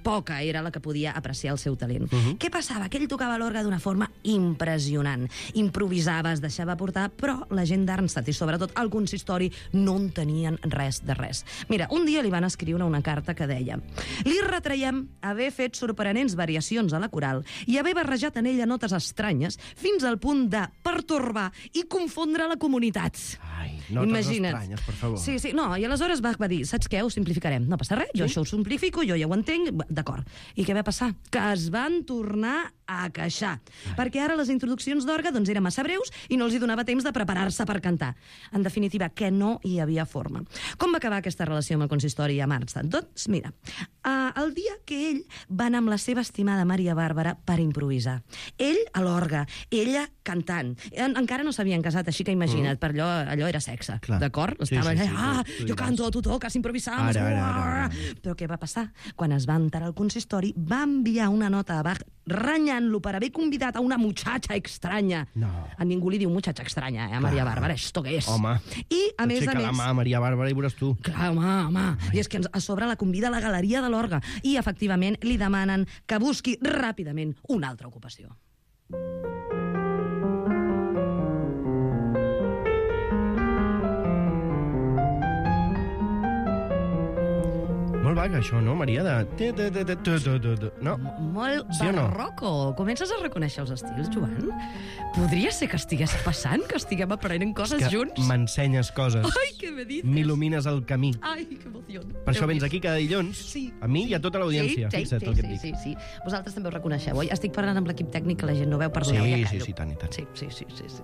poca era la que podia apreciar el seu talent. Uh -huh. Què passava? Que ell tocava l'orgue d'una forma impressionant. Improvisava, es deixava portar, però la gent d'Arnstadt, i sobretot el consistori, no en tenien res de res. Mira, un dia li van escriure una carta que deia: li retreiem haver fet sorprenents variacions a la coral i haver barrejat en ella notes estranyes fins al punt de pertorbar i confondre la comunitat. Ai, notes Imagina't. estranyes, per favor. Sí, sí, no, i aleshores Bach va dir, saps què, ho simplificarem. No passa res, jo això ho simplifico, jo ja ho entenc, d'acord. I què va passar? Que es van tornar a queixar, perquè ara les introduccions d'orgue doncs, eren massa breus i no els hi donava temps de preparar-se per cantar. En definitiva, que no hi havia forma. Com va acabar aquesta relació amb el consistori a Arnstadt? Doncs, mira, uh, el dia que ell va anar amb la seva estimada Maria Bàrbara per improvisar. Ell a l'orgue, ella cantant. En, encara no s'havien casat, així que imagina't, per allò, allò era sexe, Clar. d'acord? Sí, Estava sí, allà, sí, ah, tu- tu jo diràs. canto, tu toques, improvisamos. Ara, ara, ara, ara. Però què va passar? Quan es va enterar el consistori, va enviar una nota a Bach renyant-lo per haver convidat a una muchacha estranya. No. A ningú li diu muchacha estranya, eh, a Maria Clar. Bàrbara, esto què és? Home, I, a més a aixeca més... la mà a Maria Bàrbara i veuràs tu. Clar, home, home. I és que ens- a sobre la convida a la galeria de l'orgue i, efectivament, li demanen que busqui ràpidament una altra ocupació. Molt vaga, això, no, Maria? De... te, te, te, te, te, te, te, te. No? Molt Sí o no? barroco. Comences a reconèixer els estils, Joan? Podria ser que estigués passant, que estiguem aprenent coses Que junts? m'ensenyes coses. Ai, què me dices? M'il·lumines el camí. Ai, que emoció. Per això vens aquí cada dilluns, Sí. a mi i a tota l'audiència. Sí, sí, Fixa't sí, el que et sí, dic. sí, sí. Vosaltres també ho reconeixeu, oi? Estic parlant amb l'equip tècnic que la gent no veu, perdoneu, Sí, ja sí, callo. sí, tant i tant. Sí, sí, sí, sí, sí.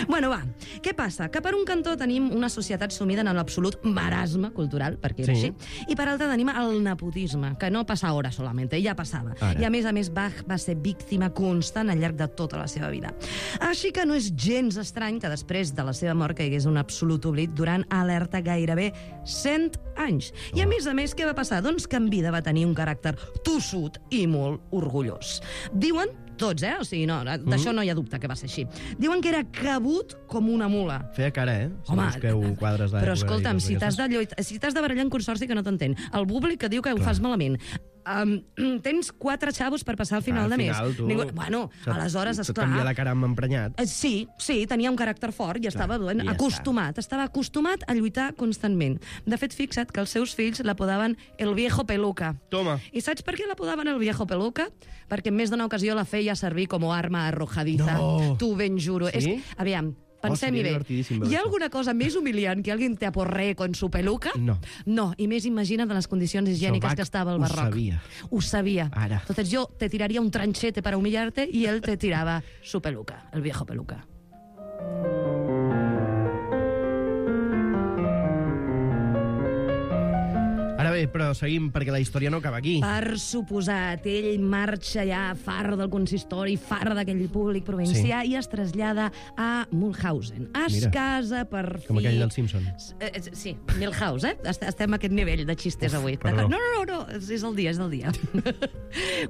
Bueno, va, què passa? Que per un cantó tenim una societat sumida en l'absolut marasme cultural, perquè era Sí. així, i per altre tenim el nepotisme, que no passa ara solament, ja passava. Ara. I a més a més Bach va ser víctima constant al llarg de tota la seva vida. Així que no és gens estrany que després de la seva mort caigués un absolut oblit durant alerta gairebé cent anys. I a més a més, què va passar? Doncs que en vida va tenir un caràcter tossut i molt orgullós. Diuen tots, eh? O sigui, no, d'això no hi ha dubte que va ser així. Diuen que era cabut com una mula. Feia cara, eh? Si Home, busqueu quadres d'època però i escolta'm, coses si t'has d'aquestes. de, lluit- si t'has de barallar en consorci que no t'entén, el públic que diu que ho fas malament, um, tens quatre xavos per passar al final Al de mes. final, tu... Ningú... Bueno, se't- aleshores, se't esclar... canvia la cara amb emprenyat. Eh, Sí, sí, tenia un caràcter fort i estava Clar, bueno, i ja acostumat. Estava acostumat a lluitar constantment. De fet, fixa't que els seus fills l'apodaven el viejo peluca. Toma. I saps per què l'apodaven el viejo peluca? Perquè en més d'una ocasió la feia servir com a arma arrojadiza. No. Tu ben juro. Sí? És, aviam, pensem-hi seria bé. divertidíssim veure Hi ha això. alguna cosa més humiliant que alguien te aporree con su peluca? No. No, i més imagina't en les condicions higièniques Bach que estava el ho barroc. sabia. Ho sabia. Ara. Entonces yo te tiraría un tranchete para humillarte y él te tiraba su peluca, el viejo peluca. Ara bé, bé, però seguim, perquè la història no acaba aquí. Per suposat, ell marxa ja far del consistori, far d'aquell públic provincià Sí. i es trasllada a Mulhausen. Es Mira. casa per fi... Com aquell del Simpsons. Eh, eh, Sí, Milhouse, eh? Est- Estem a aquest nivell de xistes Uf, avui. perdó. No, no, no, no, és és el dia, és el dia.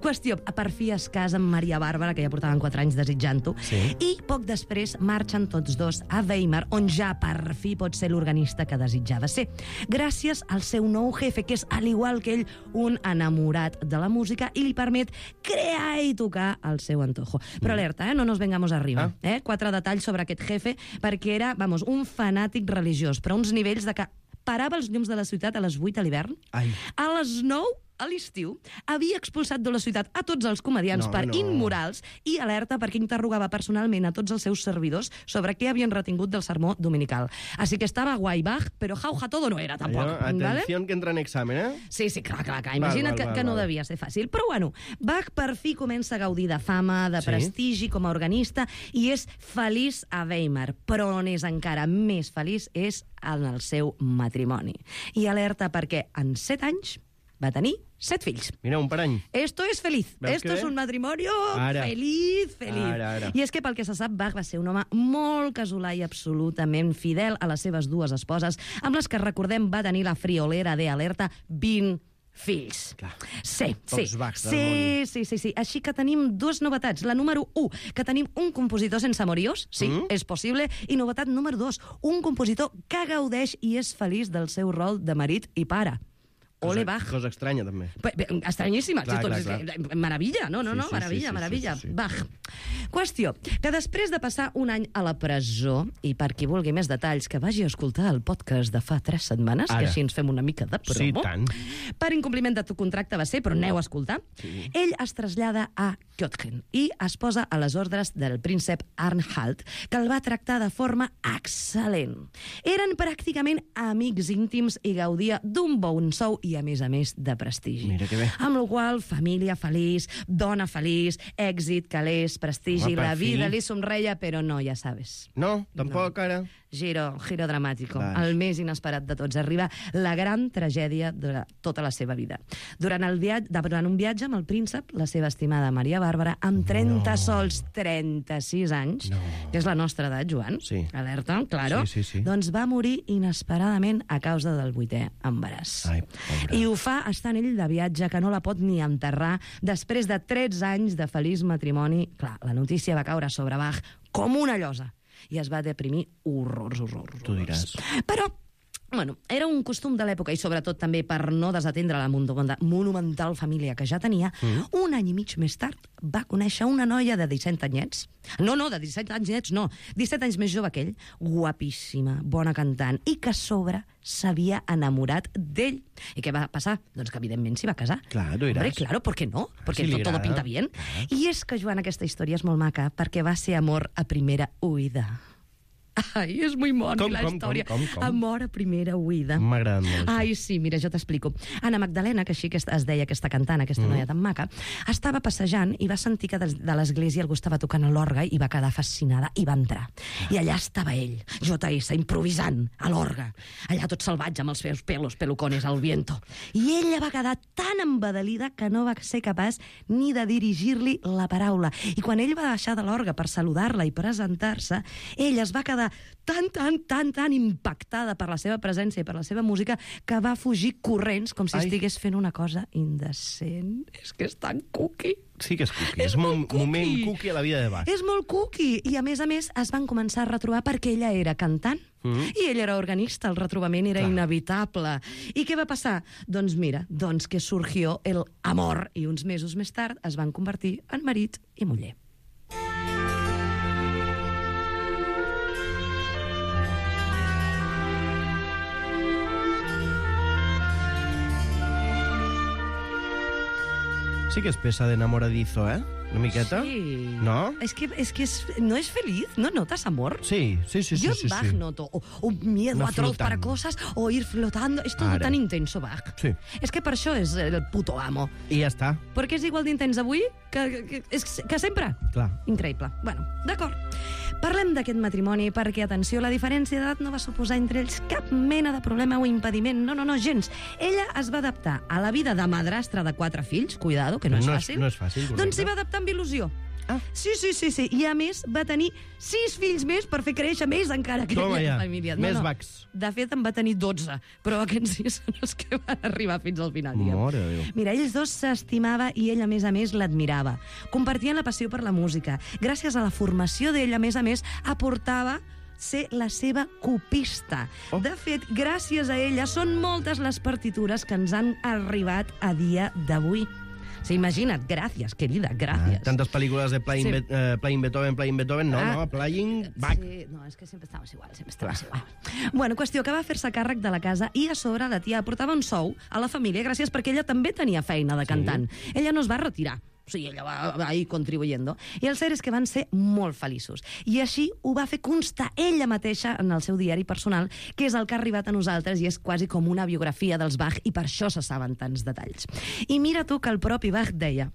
Qüestió, per fi es casa amb Maria Bàrbara, que ja portaven quatre anys desitjant-ho, Sí. i poc després marxen tots dos a Weimar, on ja per fi pot ser l'organista que desitjava ser. Gràcies al seu nou jefe, que és, al igual que ell, un enamorat de la música i li permet crear i tocar al seu antojo. Però alerta, eh? No nos vengamos arriba. Ah. Eh? Quatre detalls sobre aquest jefe, perquè era, vamos, un fanàtic religiós, però a uns nivells de que parava els llums de la ciutat a les vuit a l'hivern, Ai. a les nou a l'estiu, havia expulsat de la ciutat a tots els comediants No, per no. immorals i alerta perquè interrogava personalment a tots els seus servidors sobre què havien retingut del sermó dominical. Així que estava guai Bach, però jauja todo no era, tampoc. Allò, atenció que entra en examen, eh? Sí, sí, clar, clar, clar. Imagina't val, que, val, que no val. devia ser fàcil. Però, bueno, Bach per fi comença a gaudir de fama, de Sí. prestigi com a organista i és feliç a Weimar. Però on és encara més feliç és en el seu matrimoni. I alerta perquè en set anys va tenir set fills. Mira, un per any. Esto es feliz. Veus Esto que es bé? un matrimonio Ara. feliz, feliz. Ara, ara. I és que pel que se sap, Bach va ser un home molt casolà i absolutament fidel a les seves dues esposes, amb les que, recordem, va tenir la friolera de alerta vint fills. Clar. Sí, sí. Pocs Bachs del Sí, sí, sí, sí. Així que tenim dues novetats. La número u, que tenim un compositor sense amoriós, sí, Mm. és possible, i novetat número dos, un compositor que gaudeix i és feliç del seu rol de marit i pare. Ole Bach. Cosa estranya, també. Pe- pe- Estranyíssima. Clar, Clar, clar, clar, clar. Meravella, no, no, Sí, no, sí, meravella, sí, sí, meravella. sí, sí, sí. Bach. Qüestió, que després de passar un any a la presó, i per qui vulgui més detalls, que vagi a escoltar el podcast de fa tres setmanes, Ara. que així ens fem una mica de promo. Sí, tant. Per incompliment de tu contracte va ser, però aneu a escoltar. Sí. Ell es trasllada a Göttingen i es posa a les ordres del príncep Arnhalt, que el va tractar de forma excel·lent. Eren pràcticament amics íntims i gaudia d'un bon sou i, a més a més, de prestigi. Mira que bé. Amb la qual família feliç, dona feliç, èxit, calés, prestigi, Home, per la vida fi. li somreia, però no, ja sabes. No, tampoc ara. Giro, giro dramàtico. Vas. El més inesperat de tots. Arriba la gran tragèdia de tota la seva vida. Durant, el viatge, durant un viatge amb el príncep, la seva estimada Maria Bàrbara, amb trenta no. sols trenta-sis anys, No. que és la nostra edat, Joan, Sí. alerta, claro, Sí, sí, sí. doncs va morir inesperadament a causa del vuitè embaràs. Ai, pobre. I ho fa estant ell de viatge, que no la pot ni enterrar, després de tretze anys de feliç matrimoni. Clar, la notícia va caure sobre Bach com una llosa i es va deprimir horrors, horrors, Tu horrors. diràs. Però, bueno, era un costum de l'època i sobretot també per no desatendre la monumental, monumental família que ja tenia, mm. un any i mig més tard va conèixer una noia de disset anyets. No, no, de disset anyets no, disset anys més jove que ell, guapíssima, bona cantant, i que a sobre s'havia enamorat d'ell. I què va passar? Doncs que evidentment s'hi va casar. Clar, tu diràs. Hombre, claro, ¿por qué no? Porque si li todo, todo agrada. pinta bien. I és que, Joan, aquesta història és molt maca perquè va ser amor a primera oïda. Ai, és muy moni Com, la com, història. com, com, com? Amor a primera oïda. M'ha agradat molt, això. Ai, sí, mira, jo t'explico. Anna Magdalena, que així que es deia aquesta cantant, aquesta mm. noia tan maca, estava passejant i va sentir que des de l'església algú estava tocant l'orgue i va quedar fascinada i va entrar. I allà estava ell, J S, improvisant a l'orgue. Allà tot salvatge amb els seus pelos, pelucones al viento. I ella va quedar tan embadalida que no va ser capaç ni de dirigir-li la paraula. I quan ell va baixar de l'orgue per saludar-la i presentar-se, ella es va quedar tan, tan, tan, tan impactada per la seva presència i per la seva música que va fugir corrents com si Ai. estigués fent una cosa indecent. És que és tan cookie. Sí que és cookie. És És un molt cookie. moment cookie a la vida de Bach. És molt cookie. I, a més a més, es van començar a retrobar perquè ella era cantant Mm. i ell era organista. El retrobament era Clar. inevitable. I què va passar? Doncs mira, doncs que surgió el amor i uns mesos més tard es van convertir en marit i muller. Sí que és peça d'enamoradizo, eh? Una miqueta? Sí. No? Es que, es que es, no es feliz, ¿no notas amor? Sí, sí, sí, sí. Yo sí, en Bach sí. noto o, un miedo Anar atroz para flotant. cosas o ir flotando. Es todo Ara. tan intenso, Bach. Sí. És que per això és el puto amo. I ja està. Perquè és igual d'intens avui que, que, que, és que sempre. Clar. Increïble. Bueno, d'acord. Parlem d'aquest matrimoni perquè, atenció, la diferència d'edat no va suposar entre ells cap mena de problema o impediment. No, no, no, gens. Ella es va adaptar a la vida de madrastra de quatre fills, cuidado, que no és No és- fàcil. no és fàcil, correcte. Doncs s'hi va adaptar amb il·lusió. Ah. Sí, sí, sí, sí. I a més va tenir sis fills més per fer créixer més encara que Toma aquella ja, família. més bacs. De fet, en va tenir dotze, però aquests sis són els que van arribar fins al final. diguem. Mare de Déu. Mira, ells dos s'estimava i ell, a més a més, l'admirava. Compartien la passió per la música. Gràcies a la formació d'ell, a més a més, aportava ser la seva copista. Oh. De fet, gràcies a ella, són moltes les partitures que ens han arribat a dia d'avui. Sí, imagina't, gràcies, querida, gràcies. Ah, tantes pel·lícules de Playing, Sí. Be eh, Playing Beethoven, Playing Beethoven, no, Ah, no, Playing Bach. Sí, no, és que sempre estaves igual, sempre estaves igual. Bueno, qüestió que va fer-se càrrec de la casa i a sobre la tia aportava un sou a la família gràcies perquè ella també tenia feina de cantant. Sí. Ella no es va retirar. O sigui, ella va, va ir contribuyendo. I el cert és que van ser molt feliços. I així ho va fer constar ella mateixa en el seu diari personal, que és el que ha arribat a nosaltres i és quasi com una biografia dels Bach, i per això se saben tants detalls. I mira tu que el propi Bach deia: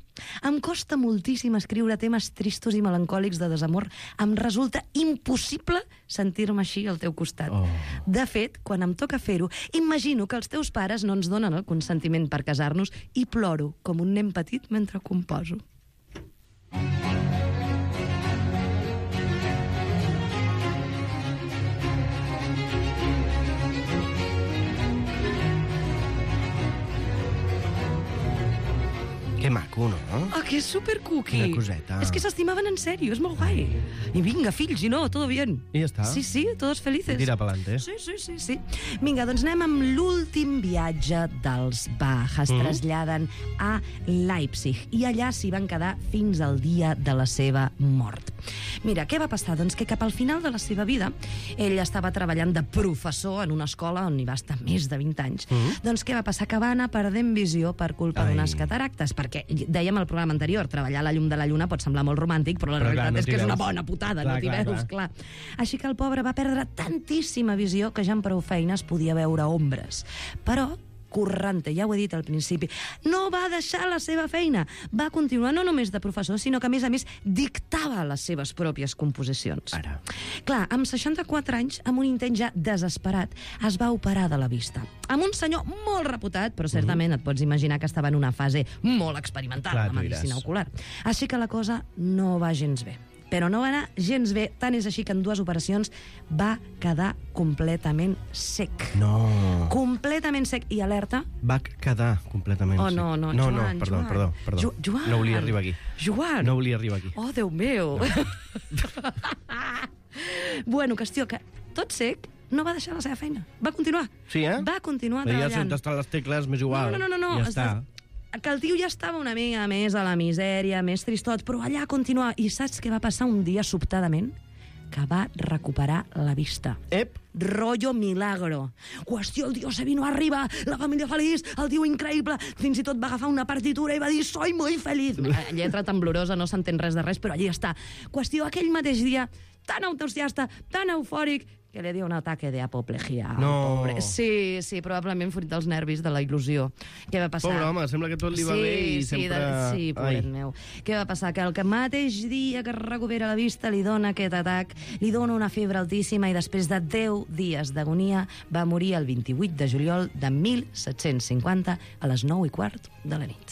em costa moltíssim escriure temes tristos i melancòlics de desamor. Em resulta impossible sentir-me així al teu costat. Oh. De fet, quan em toca fer-ho, imagino que els teus pares no ens donen el consentiment per casar-nos i ploro com un nen petit mentre composo. Que maco, no? Ah, que és supercookie. Quina coseta. És que s'estimaven en sèrio, és molt guai. I vinga, fills, i no, todo bien. I ja està. Sí, sí, todos felices. Tira pa'lante. Sí, sí, sí, sí. Vinga, doncs anem amb l'últim viatge dels Bach. Es Mm. traslladen a Leipzig i allà s'hi van quedar fins al dia de la seva mort. Mira, què va passar? Doncs que cap al final de la seva vida ell estava treballant de professor en una escola on hi va estar més de vint anys. Mm. Doncs què va passar? Que va anar perdent visió per culpa Ai. d'unes cataractes, perquè dèiem al programa anterior, treballar a la llum de la lluna pot semblar molt romàntic, però la Però, clar, realitat no és t'hi que és una veus. bona putada, Clar, no t'hi clar, veus, clar. clar. Així que el pobre va perdre tantíssima visió que ja en prou feines podia veure ombres. Però Currante, ja ho he dit al principi, no va deixar la seva feina. Va continuar no només de professor, sinó que, a més a més, dictava les seves pròpies composicions. Ara. Clar, amb seixanta-quatre anys, amb un intent ja desesperat, es va operar de la vista. Amb un senyor molt reputat, però certament et pots imaginar que estava en una fase molt experimental, Clar, la tu medicina diràs. ocular. Així que la cosa no va gens bé. Però no va anar gens bé, tant és així que en dues operacions va quedar completament sec. No. Completament sec. I alerta... Va quedar completament Oh, sec. no, no, no, Joan, no, perdó, Joan. perdó, perdó. Jo- Joan. No volia arribar aquí. Joan! No volia arribar aquí. Oh, Déu meu! No. Bueno, qüestió que tot sec no va deixar la seva feina. Va continuar. Sí, eh? Va continuar Veia treballant. on estan les tecles, m'és igual. No, no, no, no, no. Ja Es- està. Que el tio ja estava una mica més a la misèria, més tristot, però allà continuava. I saps què va passar un dia sobtadament? Que va recuperar la vista. Ep, Rollo milagro. Qüestió, el tio se vino arriba, la família feliç, el tio increïble, fins i tot va agafar una partitura i va dir «Soy muy feliz». Eh, Lletra temblorosa, no s'entén res de res, però allí està. Qüestió, aquell mateix dia, tan entusiasta, tan eufòric, que li dio un ataque de apoplejia al No. pobre. Sí, sí, probablement fruit dels nervis de la il·lusió. Què va passar? pobre home, sembla que tot li va sí, bé i sí, sempre... De, sí, pobret Ai. meu. Què va passar? Que el que mateix dia que recupera la vista li dona aquest atac, li dona una febre altíssima i després de deu dies d'agonia va morir el vint-i-vuit de juliol de mil set-cents cinquanta a les nou i quart de la nit.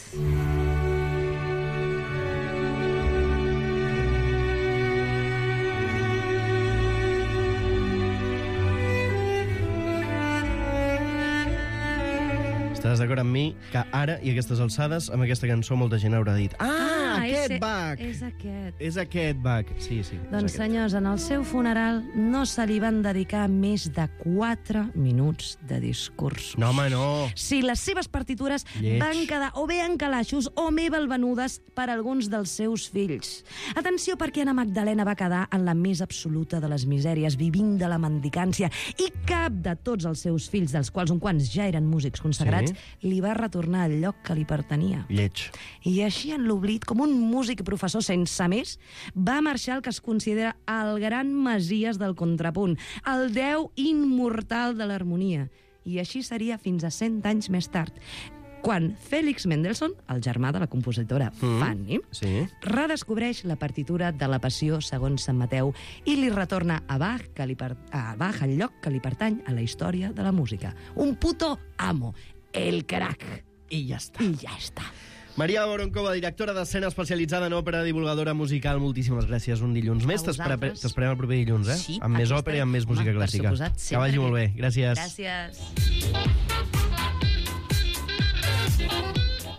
Estaràs d'acord amb mi que ara, i a aquestes alçades, amb aquesta cançó molta gent haurà dit «Ah, aquest és, Bach! És aquest. És aquest Bach!» Sí, sí. és Doncs, aquest. senyors, en el seu funeral no se li van dedicar més de quatre minuts de discurs. No, home, no. Si les seves partitures Lleig. van quedar o bé en calaixos o bé balvenudes per alguns dels seus fills. Atenció, perquè Anna Magdalena va quedar en la més absoluta de les misèries, vivint de la mendicància, i cap de tots els seus fills, dels quals uns quants ja eren músics consagrats, Sí. li va retornar el lloc que li pertanyia. Lleig. I així, en l'oblit, com un músic i professor sense més, va marxar el que es considera el gran Messies del contrapunt, el déu immortal de l'harmonia. I així seria fins a cent anys més tard. quan Félix Mendelssohn, el germà de la compositora Mm. Fanny, Sí. redescobreix la partitura de la Passió segons Sant Mateu i li retorna a Bach, que li per... a Bach el lloc que li pertany a la història de la música. Un puto amo, el crack. I ja està. I ja està. Maria Boronkova, directora d'escena especialitzada en òpera, divulgadora musical, moltíssimes gràcies un dilluns més. T'espere- vosaltres. T'esperem el proper dilluns, eh? Sí, amb més aquí òpera i estarem. amb més Home, música per clàssica. suposat, Que sempre vagi que- molt bé. Gràcies. Gràcies.